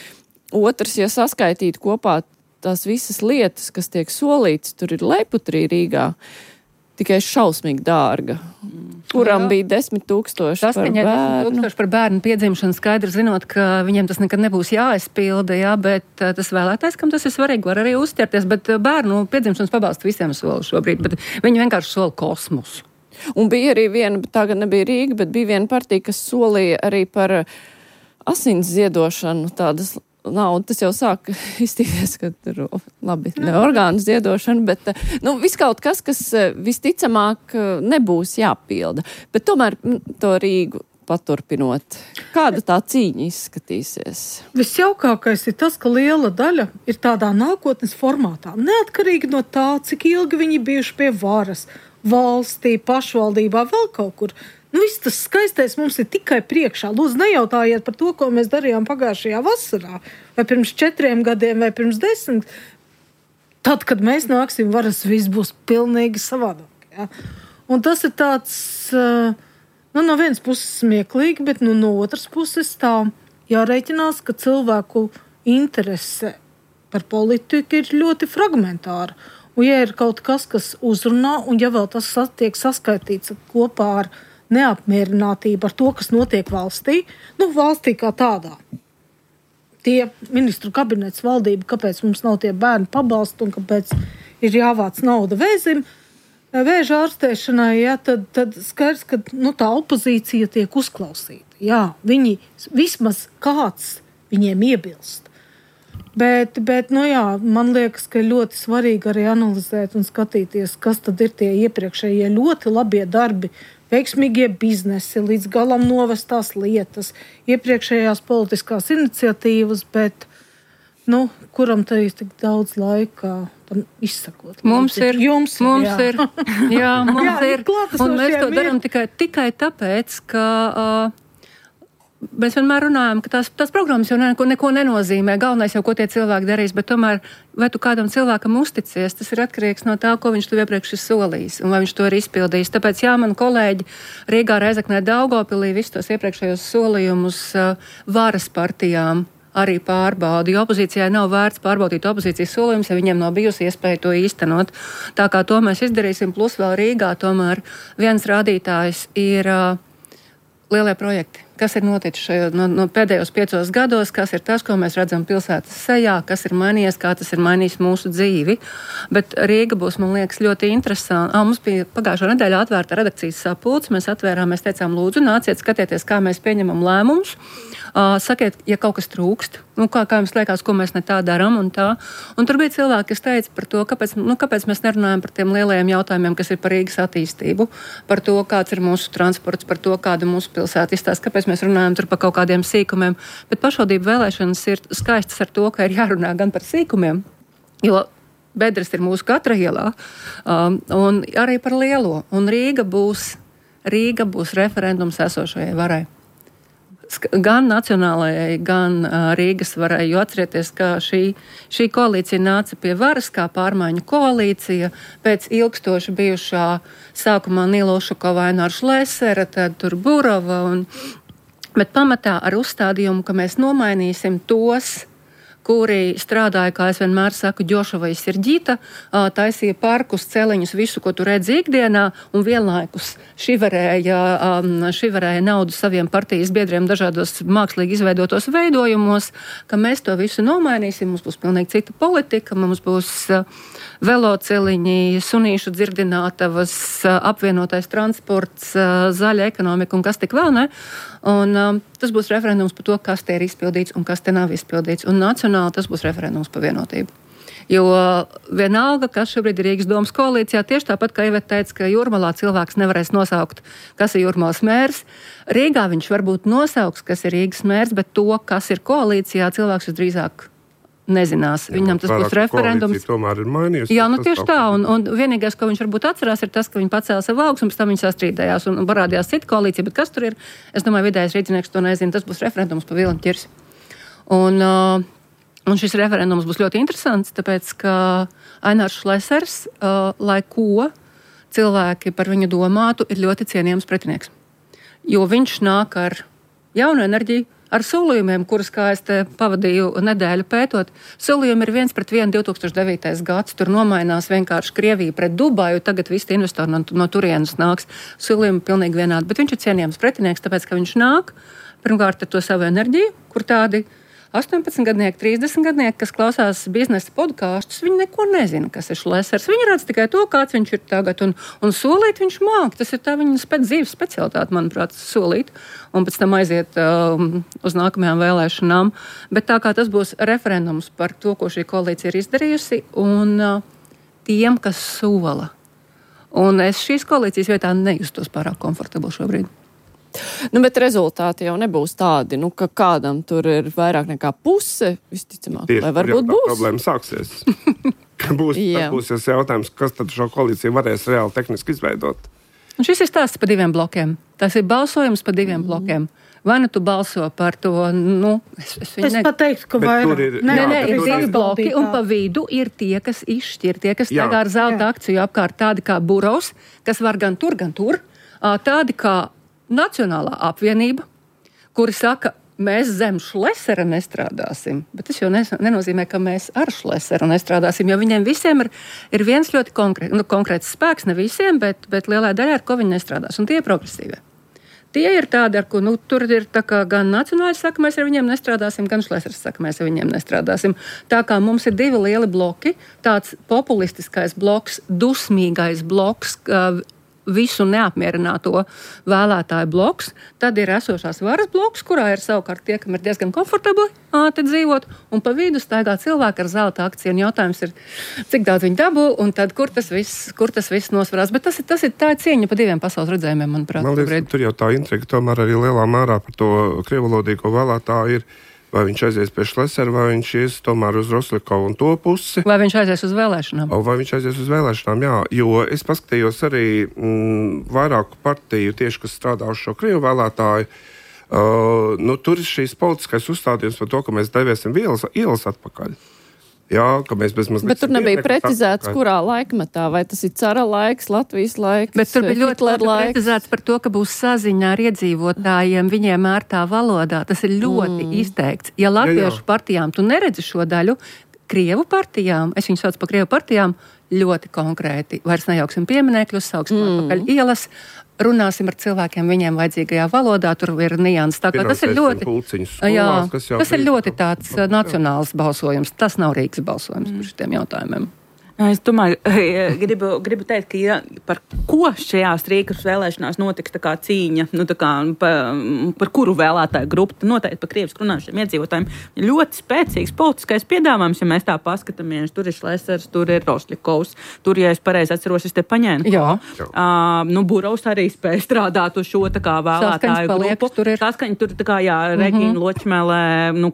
Otrs, ja saskaitītu kopā tās visas lietas, kas tiek solītas, tur ir Leiputrī Rīgā, tikai šausmīgi dārga. Kuram bija 10,000 par bērnu. 10,000 par bērnu piedzimšanu, skaidri zinot, ka viņiem tas nekad nebūs jāizpilda, bet tas vēlētājs, kam tas ir svarīgi, var arī uzķerties, bet bērnu piedzimšanas pabalstu visiem sola šobrīd, bet viņi vienkārši sola kosmosu. Un bija arī viena, tā gan nebija Rīga, bet bija viena partija, kas solīja arī par asins ziedošanu tādas naudu. Tas jau sāk iztīties, ka tur labi, ne orgānu ziedošana, bet viss kaut kas visticamāk nebūs jāpilda. Bet tomēr to Rīgu paturpinot, kāda tā cīņa izskatīsies? Visjaukākais ir tas, ka liela daļa ir tādā nākotnes formātā. Neatkarīgi no tā, cik ilgi viņi bijuši pie varas, valstī, pašvaldībā, vēl kaut kur. Viss tas skaistais mums ir tikai priekšā. Lūdzu, nejautājiet par to, ko mēs darījām pagājušajā vasarā, vai pirms 4 gadiem, vai pirms 10. Tad, kad mēs nāksim varas, viss būs pilnīgi savādāk. Ja? Un tas ir tāds, no vienas puses smieklīgi, bet no otras puses tā jārēķinās, ka cilvēku interese par politiku ir ļoti fragmentāra. Un ja ir kaut kas, kas uzrunā, un ja vēl tas tiek saskaitīts kopā ar neapmierinātību ar to, kas notiek valstī, valstī kā tādā. Tie ministru kabinets valdība, kāpēc mums nav tie bērnu pabalsti un kāpēc ir jāvāc nauda vēža ārstēšanai, tad skaidrs, ka tā opozīcija tiek uzklausīta. Jā, viņi vismaz kāds viņiem iebilst. Bet man liekas, ka ļoti svarīgi arī analizēt un skatīties, kas tad ir tie iepriekšējie ļoti labie darbi, veiksmīgie biznesi, līdz galam novestās lietas, iepriekšējās politiskās iniciatīvas, bet kuram te ir tik daudz laika tam izsakot? Mums ir. Jā, mums ir. Un mēs to darām tikai tāpēc, ka mēs vienmēr runājam, ka tās programmas jau neko nenozīmē. Galvenais jau, ko tie cilvēki darīs, bet tomēr, vai tu kādam cilvēkam uzticies, tas ir atkarīgs no tā, ko viņš tev iepriekš ir solījis un vai viņš to ir izpildījis. Tāpēc, mani kolēģi Rīgā, Reizeknē, Daugavpilī visus tos iepriekšējos solījumus varas partijām arī pārbauda, jo opozīcijai nav vērts pārbaudīt opozīcijas solījumus, ja viņiem nav bijusi iespēja to īstenot. Tā kā to mēs izdarīsim, plus vēl Rīgā tomēr viens rādītājs ir lielie projekti. Kas ir noticis no pēdējos 5 gados, kas ir tas, ko mēs redzam pilsētas sejā, kas ir mainījies, kā tas ir mainījis mūsu dzīvi. Bet Rīga būs, man liekas, ļoti interesanti. Mums bija pagājušā nedēļā atvērta redakcijas sapulce, mēs teicām, lūdzu, nāciet skatieties, kā mēs pieņemam lēmumus. Sakiet, ja kaut kas trūkst, kā jums liekas, ko mēs ne tā darām un tā. Un tur bija cilvēki, kas teica par to, kāpēc mēs nerunājam par tiem lielajiem jautājumiem, kas ir par Rīgas attīstību, par to, kāds ir mūsu transports, par to, kāda mūsu pilsēta izstāsta, kāpēc mēs runājam tur par kaut kādiem sīkumiem. Bet pašvaldību vēlēšanas ir skaistas ar to, ka ir jārunā gan par sīkumiem, jo bedres ir mūsu katra ielā, un arī par lielo. Un Rīga būs referendums esošajai varai. Gan nacionālajai, gan Rīgas varai, jo atcerieties, ka šī koalīcija nāca pie varas kā pārmaiņu koalīcija pēc ilgstoši bijušā sākumā Nilo Šukova, Aināra Šlesera, tad tur Burova, bet pamatā ar uzstādījumu, ka mēs nomainīsim tos, kuri strādāja, kā es vienmēr saku, ģošava i Sirģīta, taisīja parkus, celiņus, visu, ko tu redzi ikdienā, un vienlaikus šiverēja naudu saviem partijas biedriem dažādos mākslīgi izveidotos veidojumos, ka mēs to visu nomainīsim, mums būs pilnīgi cita politika, mums būs veloceliņi, sunīšu dzirdinātavas, apvienotais transports, zaļa ekonomika un kas tik vēl, ne? Un tas būs referendums par to, kas te ir izpildīts un kas te nav izpildīts. Un nacionāli tas būs referendums par vienotību. Jo vienalga, kas šobrīd ir Rīgas domas koalīcijā, tieši tāpat, kā Iveta teica, ka Jūrmalā cilvēks nevarēs nosaukt, kas ir Jūrmalas mērs. Rīgā viņš varbūt nosauks, kas ir Rīgas mērs, bet to, kas ir koalīcijā, cilvēks visdrīzāk nezinās. Viņam tas būs referendums. Tomēr ir mainījusi. Jā, tieši tā. Un vienīgais, ko viņš varbūt atcerās, ir tas, ka viņi pacēla savu augstu, un pēc tam viņi sastrīdējās un parādījās cita koalīcija. Bet kas tur ir? Es domāju, vidējais rīdzinieks to nezina. Tas būs referendums par Vilni ķirsi. Un šis referendums būs ļoti interesants, tāpēc, ka Ainārs Šlesers, lai ko cilvēki par viņu domātu, ir ļoti cienījams pretinieks. Jo viņš nāk ar jaunu enerģiju, ar solījumiem, kurus, kā es te pavadīju nedēļu pētot, solījumi ir 1:1 2009. gads, tur nomainās vienkārši Krievija pret Dubaju, tagad visi investori no turienes nāks, solījumi pilnīgi vienādi, bet viņš ir cienījams pretinieks, tāpēc, ka viņš nāk, pirmkārt ar to savu enerģiju, kur tādi 18-gadnieki, 30-gadnieki, kas klausās biznesa podkāstus, viņi neko nezina, kas ir Šlesers. Viņi redz tikai to, kāds viņš ir tagad, un solīt viņš māk. Tas ir tā viņa dzīves specialitāte, manuprāt, solīt, un pēc tam aiziet uz nākamajām vēlēšanām. Bet tā kā tas būs referendums par to, ko šī koalīcija ir izdarījusi, un tiem, kas sola. Un es šīs koalīcijas vietā nejustos pārāk komfortabli šobrīd. Bet rezultāti jau nebūs tādi, ka kādam tur ir vairāk nekā puse, visticamāk, vai varbūt būs. Problēma sāksies. būs jautājums, kas tad šo koalīciju varēs reāli tehniski izveidot. Un šis ir stāsts par 2 blokiem. Tas ir balsojums par 2 blokiem. Vai tu balso par to, es pateiktu, ka vairāk. Nē, ir 2 bloki, un pa vidu ir tie, kas izšķir, tie, kas tagad ar zelta akciju apkārt, tādi kā Burovs, kas var gan tur, tādi kā Nacionālā apvienība, kuri saka, mēs zem Šlesera nestrādāsim, bet tas jau nenozīmē, ka mēs ar Šleseru nestrādāsim, jo viņiem visiem ir viens ļoti konkrēts spēks, ne visiem, bet lielā daļā, ar ko viņi nestrādās, un tie ir progresīvie. Tie ir tādi, ar ko tur ir tā kā gan Nacionāļi saka, mēs ar viņiem nestrādāsim, gan Šlesers saka, mēs ar viņiem nestrādāsim. Tā kā mums ir 2 lieli bloki, tāds populistiskais bloks, dusmīgais bloks, visu neapmierināto vēlētāju bloks, tad ir esošās varas bloks, kurā ir savukārt tie, kam ir diezgan komfortabli te dzīvot, un pa vidu staigā cilvēki ar zelta akciju, un jautājums ir, cik daudz viņi dabū, un tad kur tas viss nosvarās. Bet tā ir cieņa pa 2 pasaules redzējumiem, manuprāt. Man liekas, tur jau tā intriga tomēr arī lielā mērā par to krievalodīgo vēlētāju ir. Vai viņš aizies pie Šlesera, vai viņš ies tomēr uz Roslikovu un to pusi. Vai viņš aizies uz vēlēšanām? Vai viņš aizies uz vēlēšanām, jā. Jo es paskatījos arī vairāku partiju, tieši, kas strādā uz šo krievu vēlētāju. Tur ir šīs politiskais uzstādījums par to, ka mēs deviesim ielas atpakaļ. Jā, ka mēs bezmaz bet tur nebija precizēts, kurā laikmetā, vai tas ir cara laiks, Latvijas laiks, bet tur bija ļoti precizēts par to, ka būs saziņā ar iedzīvotājiem, viņiem ērtā valodā. Tas ir ļoti izteikts. Ja latviešu partijām tu neredzi šo daļu, krievu partijām, es viņu saucu par krievu partijām, ļoti konkrēti. Vairs nejauksim pieminekļus, sauksim atpakaļ ielas, runāsim ar cilvēkiem viņiem vajadzīgajā valodā, tur ir nianses. Tā kā tas ir ļoti tāds nacionāls balsojums. Tas nav Rīgas balsojums par šitiem jautājumiem. Es domāju, gribu teikt, ka par ko šajās Rīgas vēlēšanās notiks tā kā cīņa, par kuru vēlētāju grupu, noteikti par krievisku runājušiem iedzīvotājiem. Ļoti spēcīgs politiskais piedāvājums, ja mēs tā paskatāmies. Tur ir Šlesers, tur ir Rosļikovs, tur, ja es pareizi atceros, es te paņēmu. Burovs arī spēja strādāt uz šo tā kā vēlētāju grupu. Saskaņa tur tā kā, Regīna Ločmele,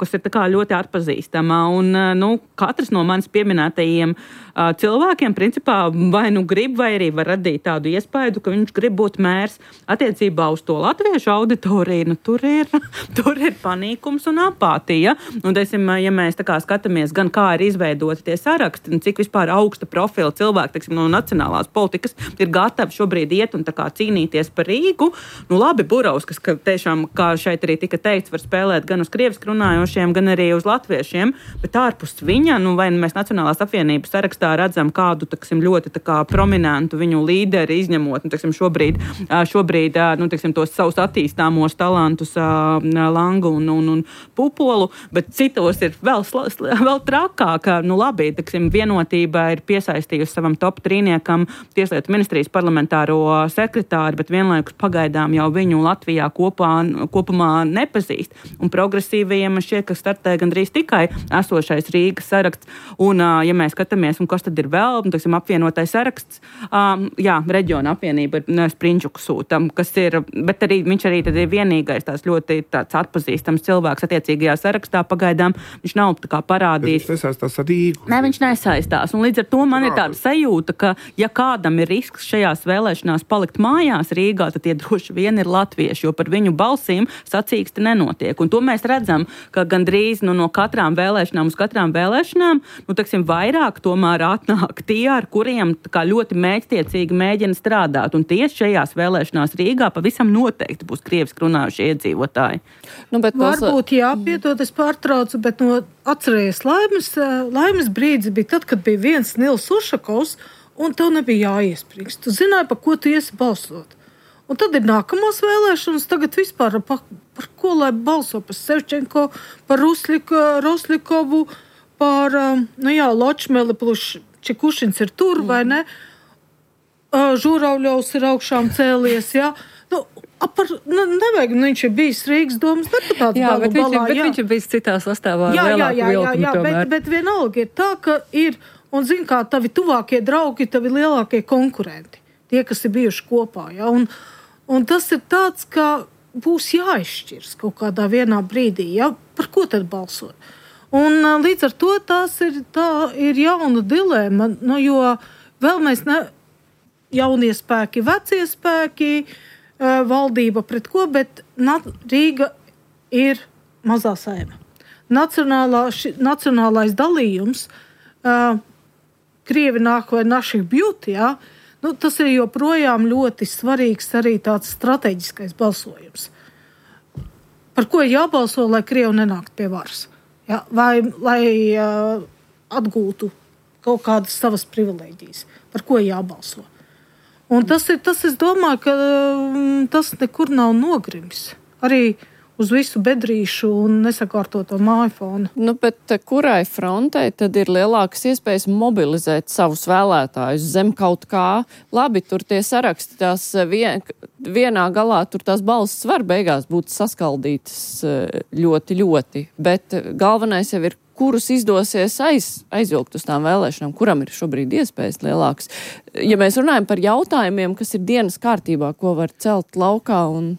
kas ir tā kā ļoti atpazīstama. Un, katrs no manis pieminētajiem cilvēkiem, principā, vai grib, vai arī var radīt tādu iespēju, ka viņš grib būt mērs. Attiecībā uz to latviešu auditoriju, tur ir panīkums un apātija. Un, ja mēs tā kā skatāmies, gan kā ir izveidoti tie saraksti, cik vispār augsta profila cilvēki, no nacionālās politikas ir gatavi šobrīd iet un tā kā cīnīties par Rīgu. Labi, Burovs, kas tiešām, kā šeit arī tika teikts, var spēlēt gan uz krieviski runājošiem, gan arī uz latviešiem, bet ārpus viņa, vai mēs Nacionālās apvienības sarakstā redzam kādu, ļoti tā kā prominentu viņu līderi, izņemot, šobrīd, tos savus attīstāmos talantus Langu un Pupolu, bet citos ir vēl trakāk. Labi, Vienotība ir piesaistījusi savam top trīniekam Tieslietu ministrijas parlamentāro sekretāru, bet vienlaikus pagaidām jau viņu Latvijā kopumā nepazīst. Un progresīvajiem šķiet, ka startē gandrīz tikai esošais Rīgas saraksts. Un, ja mēs skatāmies, un kas tad ir vēl, apvienotais saraksts, reģiona apvienība ir Sprinčuku sūtam, kas ir, bet arī viņš arī tad ir vienīgais tās ļoti tāds atpazīstams cilvēks attiecīgajā sarakstā pagaidām. Viņš nav tā kā parādījis. Viņš nesaistās ar Rīgu. Nē, viņš nesaistās. Un līdz ar to man ir tāda sajūta, ka ja kādam ir risks šajās vēlēšanās palikt mājās Rīgā, tad tie droši vien ir latvieši, jo par viņu balsīm sacīksti nenotiek. Un to mēs redzam, ka gandrīz no katrām vēlēšanām uz katrām vēlēšanām, vairāk tomēr atnāk tie, ar kuriem tā ļoti mērķtiecīgi mēģina strādāt. Un tieši šajās vēlēšanās Rīgā pavisam noteikti būs krieviski runājušie iedzīvotāji. Varbūt piedod, es pārtraucu, bet atcerējies, laimes brīdis bija tad, kad bija viens Nils Ušakovs, un tev nebija jāiesprīkst. Tu zināji, par ko tu iesi balsot. Un tad ir nākamās vēlēšanas, tagad vispār par ko lai balso, par Sevčenko, par Roslikovu, par, Ločmeli plus Čekušins ir tur, vai ne? Žuravļovs ir augšām cēlies, jā. Nevajag, viņš ir bijis Rīgas domas deputāts. Jā, bet viņš ir bijis citā sastāvā. Jā, bet vienalga ir tā, ka ir, un zin kā, tavi tuvākie draugi, tavi lielākie konkurenti, tie, kas ir bijuši kopā, jā. Un tas ir tāds, ka būs jāizšķirs kaut kādā vienā brīdī, jā, par ko tad balsot. Un līdz ar to tā ir jauna dilēma, jo vēl mēs jaunie spēki, vecie spēki, valdība pret ko, bet Rīga ir mazā saima. Nacionālais dalījums, Krievi nāk vai naših bjūt, jā, tas ir joprojām ļoti svarīgs arī tāds strateģiskais balsojums. Par ko jābalso, lai Krievi nenāktu pie varas? Ja? Vai lai atgūtu kaut kādas savas privilēģijas? Par ko jābalso? Un tas, es domāju, ka tas nekur nav nogrims. Arī uz visu bedrīšu un nesakārtoto māju fonu. Bet kurai frontei tad ir lielākas iespējas mobilizēt savus vēlētājus zem kaut kā? Labi, tur tie saraksti tās vienā galā, tur tās balsis var beigās būt saskaldītas ļoti, ļoti, bet galvenais jau ir, kurus izdosies aizvilkt uz tām vēlēšanām, kuram ir šobrīd iespējas lielākas. Ja mēs runājam par jautājumiem, kas ir dienas kārtībā, ko var celt laukā un...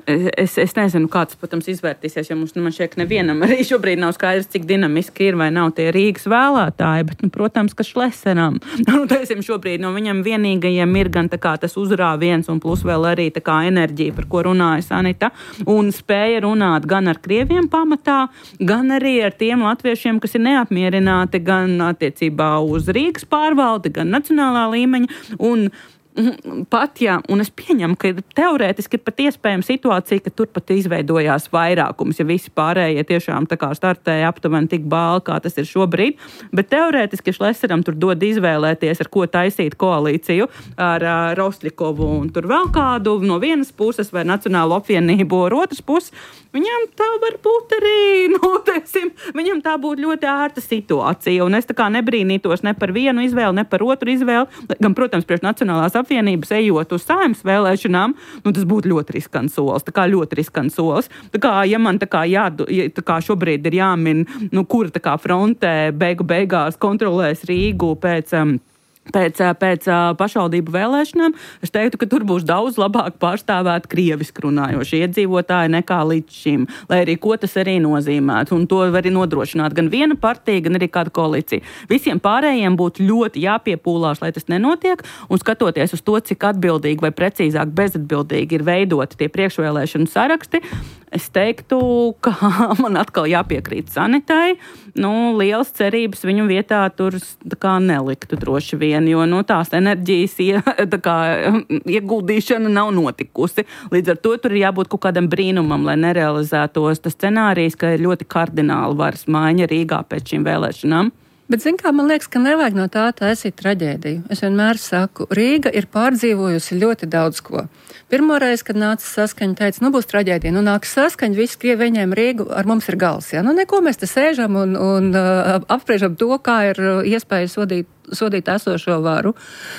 Es nezinu, kāds, protams, izvērtīsies, jo man šķiet, ka nevienam arī šobrīd nav skaidrs, cik dinamiski ir vai nav tie Rīgas vēlētāji, bet, protams, ka Šleseram. Teisim, šobrīd no viņam vienīgajiem ir gan tā kā tas uzrāviens un plus vēl arī tā kā enerģija, par ko runāja Sanita, un spēja runāt gan ar krieviem pamatā, gan arī ar tiem latviešiem, kas ir neapmierināti gan attiecībā uz Rīgas pārvaldi, gan nacionālā līmeņa, un pat, jā, un es pieņemu, ka teorētiski ir pat iespējama situācija, ka tur pat izveidojās vairākums, ja visi pārējie tiešām tā kā startēja aptuveni tik bāli, kā tas ir šobrīd, bet teorētiski Šleseram tur dod izvēlēties, ar ko taisīt koalīciju ar Rostļikovu un tur vēl kādu no vienas puses vai Nacionālo apvienību ar otras puses. Viņam tā var būt arī, viņam tā būtu ļoti ērta situācija, un es tā kā nebrīnītos ne par vienu izvēli, ne par otru izvēli, gan, protams, priekš Nacionālās apvienības ejot uz Saeimas vēlēšanām, tas būtu ļoti riskants solis, tā kā ļoti riskants solis. Tā kā, ja man tā kā šobrīd ir jāmin, kura tā kā frontē beigās kontrolēs Rīgu pēc pašvaldību vēlēšanām, es teiktu, ka tur būs daudz labāk pārstāvēt krieviski runājoši iedzīvotāji nekā līdz šim, lai arī ko tas arī nozīmētu. Un to var arī nodrošināt gan viena partija, gan arī kāda koalīcija. Visiem pārējiem būtu ļoti jāpiepūlās, lai tas nenotiek, un skatoties uz to, cik atbildīgi vai precīzāk bezatbildīgi ir veidoti tie priekšvēlēšanu saraksti, es teiktu, ka man atkal jāpiekrīt Sanitai. Lielas cerības viņu vietā tur neliktu droši vien, jo tās enerģijas ieguldīšana nav notikusi. Līdz ar to tur ir jābūt kaut kādam brīnumam, lai nerealizētos tas scenārijs, ka ir ļoti kardināli varas maiņa Rīgā pēc šīm vēlēšanām. Bet, man liekas, ka nevajag no tā taisīt traģēdiju. Es vienmēr saku, Rīga ir pārdzīvojusi ļoti daudz ko. Pirmoreiz, kad nāca Saskaņa, teica, būs traģēdija, nāks Saskaņa, visi Krievi viņiem Rīgu, ar mums ir gals. Ja? Neko mēs te sēžam un apspriežam to, kā ir iespēja sodīt esošo varu.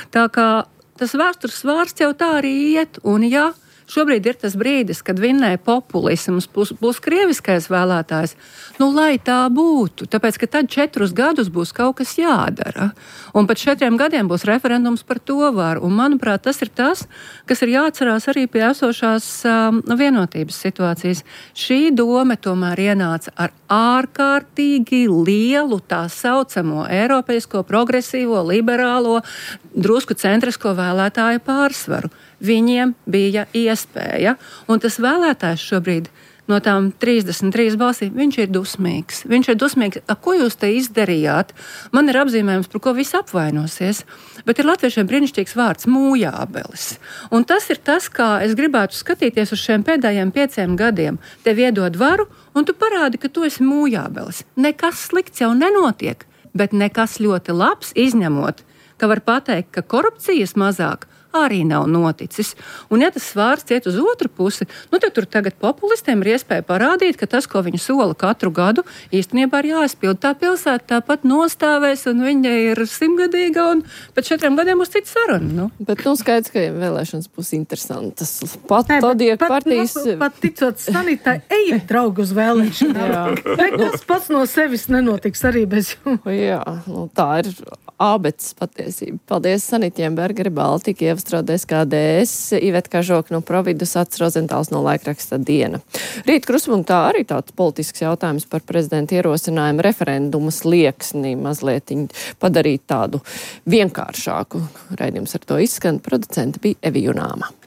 Tā kā tas vēstures vārds jau tā arī iet, un ja šobrīd ir tas brīdis, kad vinnē populisms plus krieviskais vēlētājs, lai tā būtu, tāpēc, ka tad 4 gadus būs kaut kas jādara. Un pēc 4 gadiem būs referendums par to varu. Un, manuprāt, tas ir tas, kas ir jāatcerās arī pie esošās vienotības situācijas. Šī doma tomēr ienāca ar ārkārtīgi lielu tā saucamo eiropeisko, progresīvo, liberālo, drusku centrisko vēlētāju pārsvaru. Viņiem bija iespēja, un tas vēlētājs šobrīd no tām 33 balsīm, viņš ir dusmīgs. Viņš ir dusmīgs, ko jūs te izdarījāt? Man ir apzīmējums, par ko visi apvainosies, bet ir latviešiem brīnišķīgs vārds mūjābelis. Un tas ir tas, kā es gribētu skatīties uz šiem pēdējiem 5 gadiem. Tev iedod varu, un tu parādi, ka tu esi mūjābelis. Nekas slikts jau nenotiek, bet nekas ļoti labs, izņemot, ka var pateikt, ka korupcijas mazāk arī nav noticis. Un ja tas svārsts iet uz otru pusi, tad tur tagad populistiem ir iespēja parādīt, ka tas, ko viņi sola katru gadu, īstenībā ir jāizpild. Tā pilsēta tāpat nostāvēs, un viņa ir 100-gadīga, un pēc 4 gadiem būs cita saruna. Bet skaidrs, ka vēlēšanas būs interesantas. Pat partijas... Pat ticot Sanitai, ejiet, draugi, uz vēlēšanām. Nekas pats no sevis nenotiks arī bez jums. Jā, tā ir ābeces patiesība. Paldies Sanitiem Bergeri, Baltika, Ievastrādēs KDS, Iveta Kažoka no Providus, Ats Rozentāls no laikraksta Diena. Rīt kruspunktā arī tāds politisks jautājums par prezidenta ierosinājumu referendumu slieksni mazliet padarīt tādu vienkāršāku. Raidījums ar to izskan, producenta bija Evi Junāma.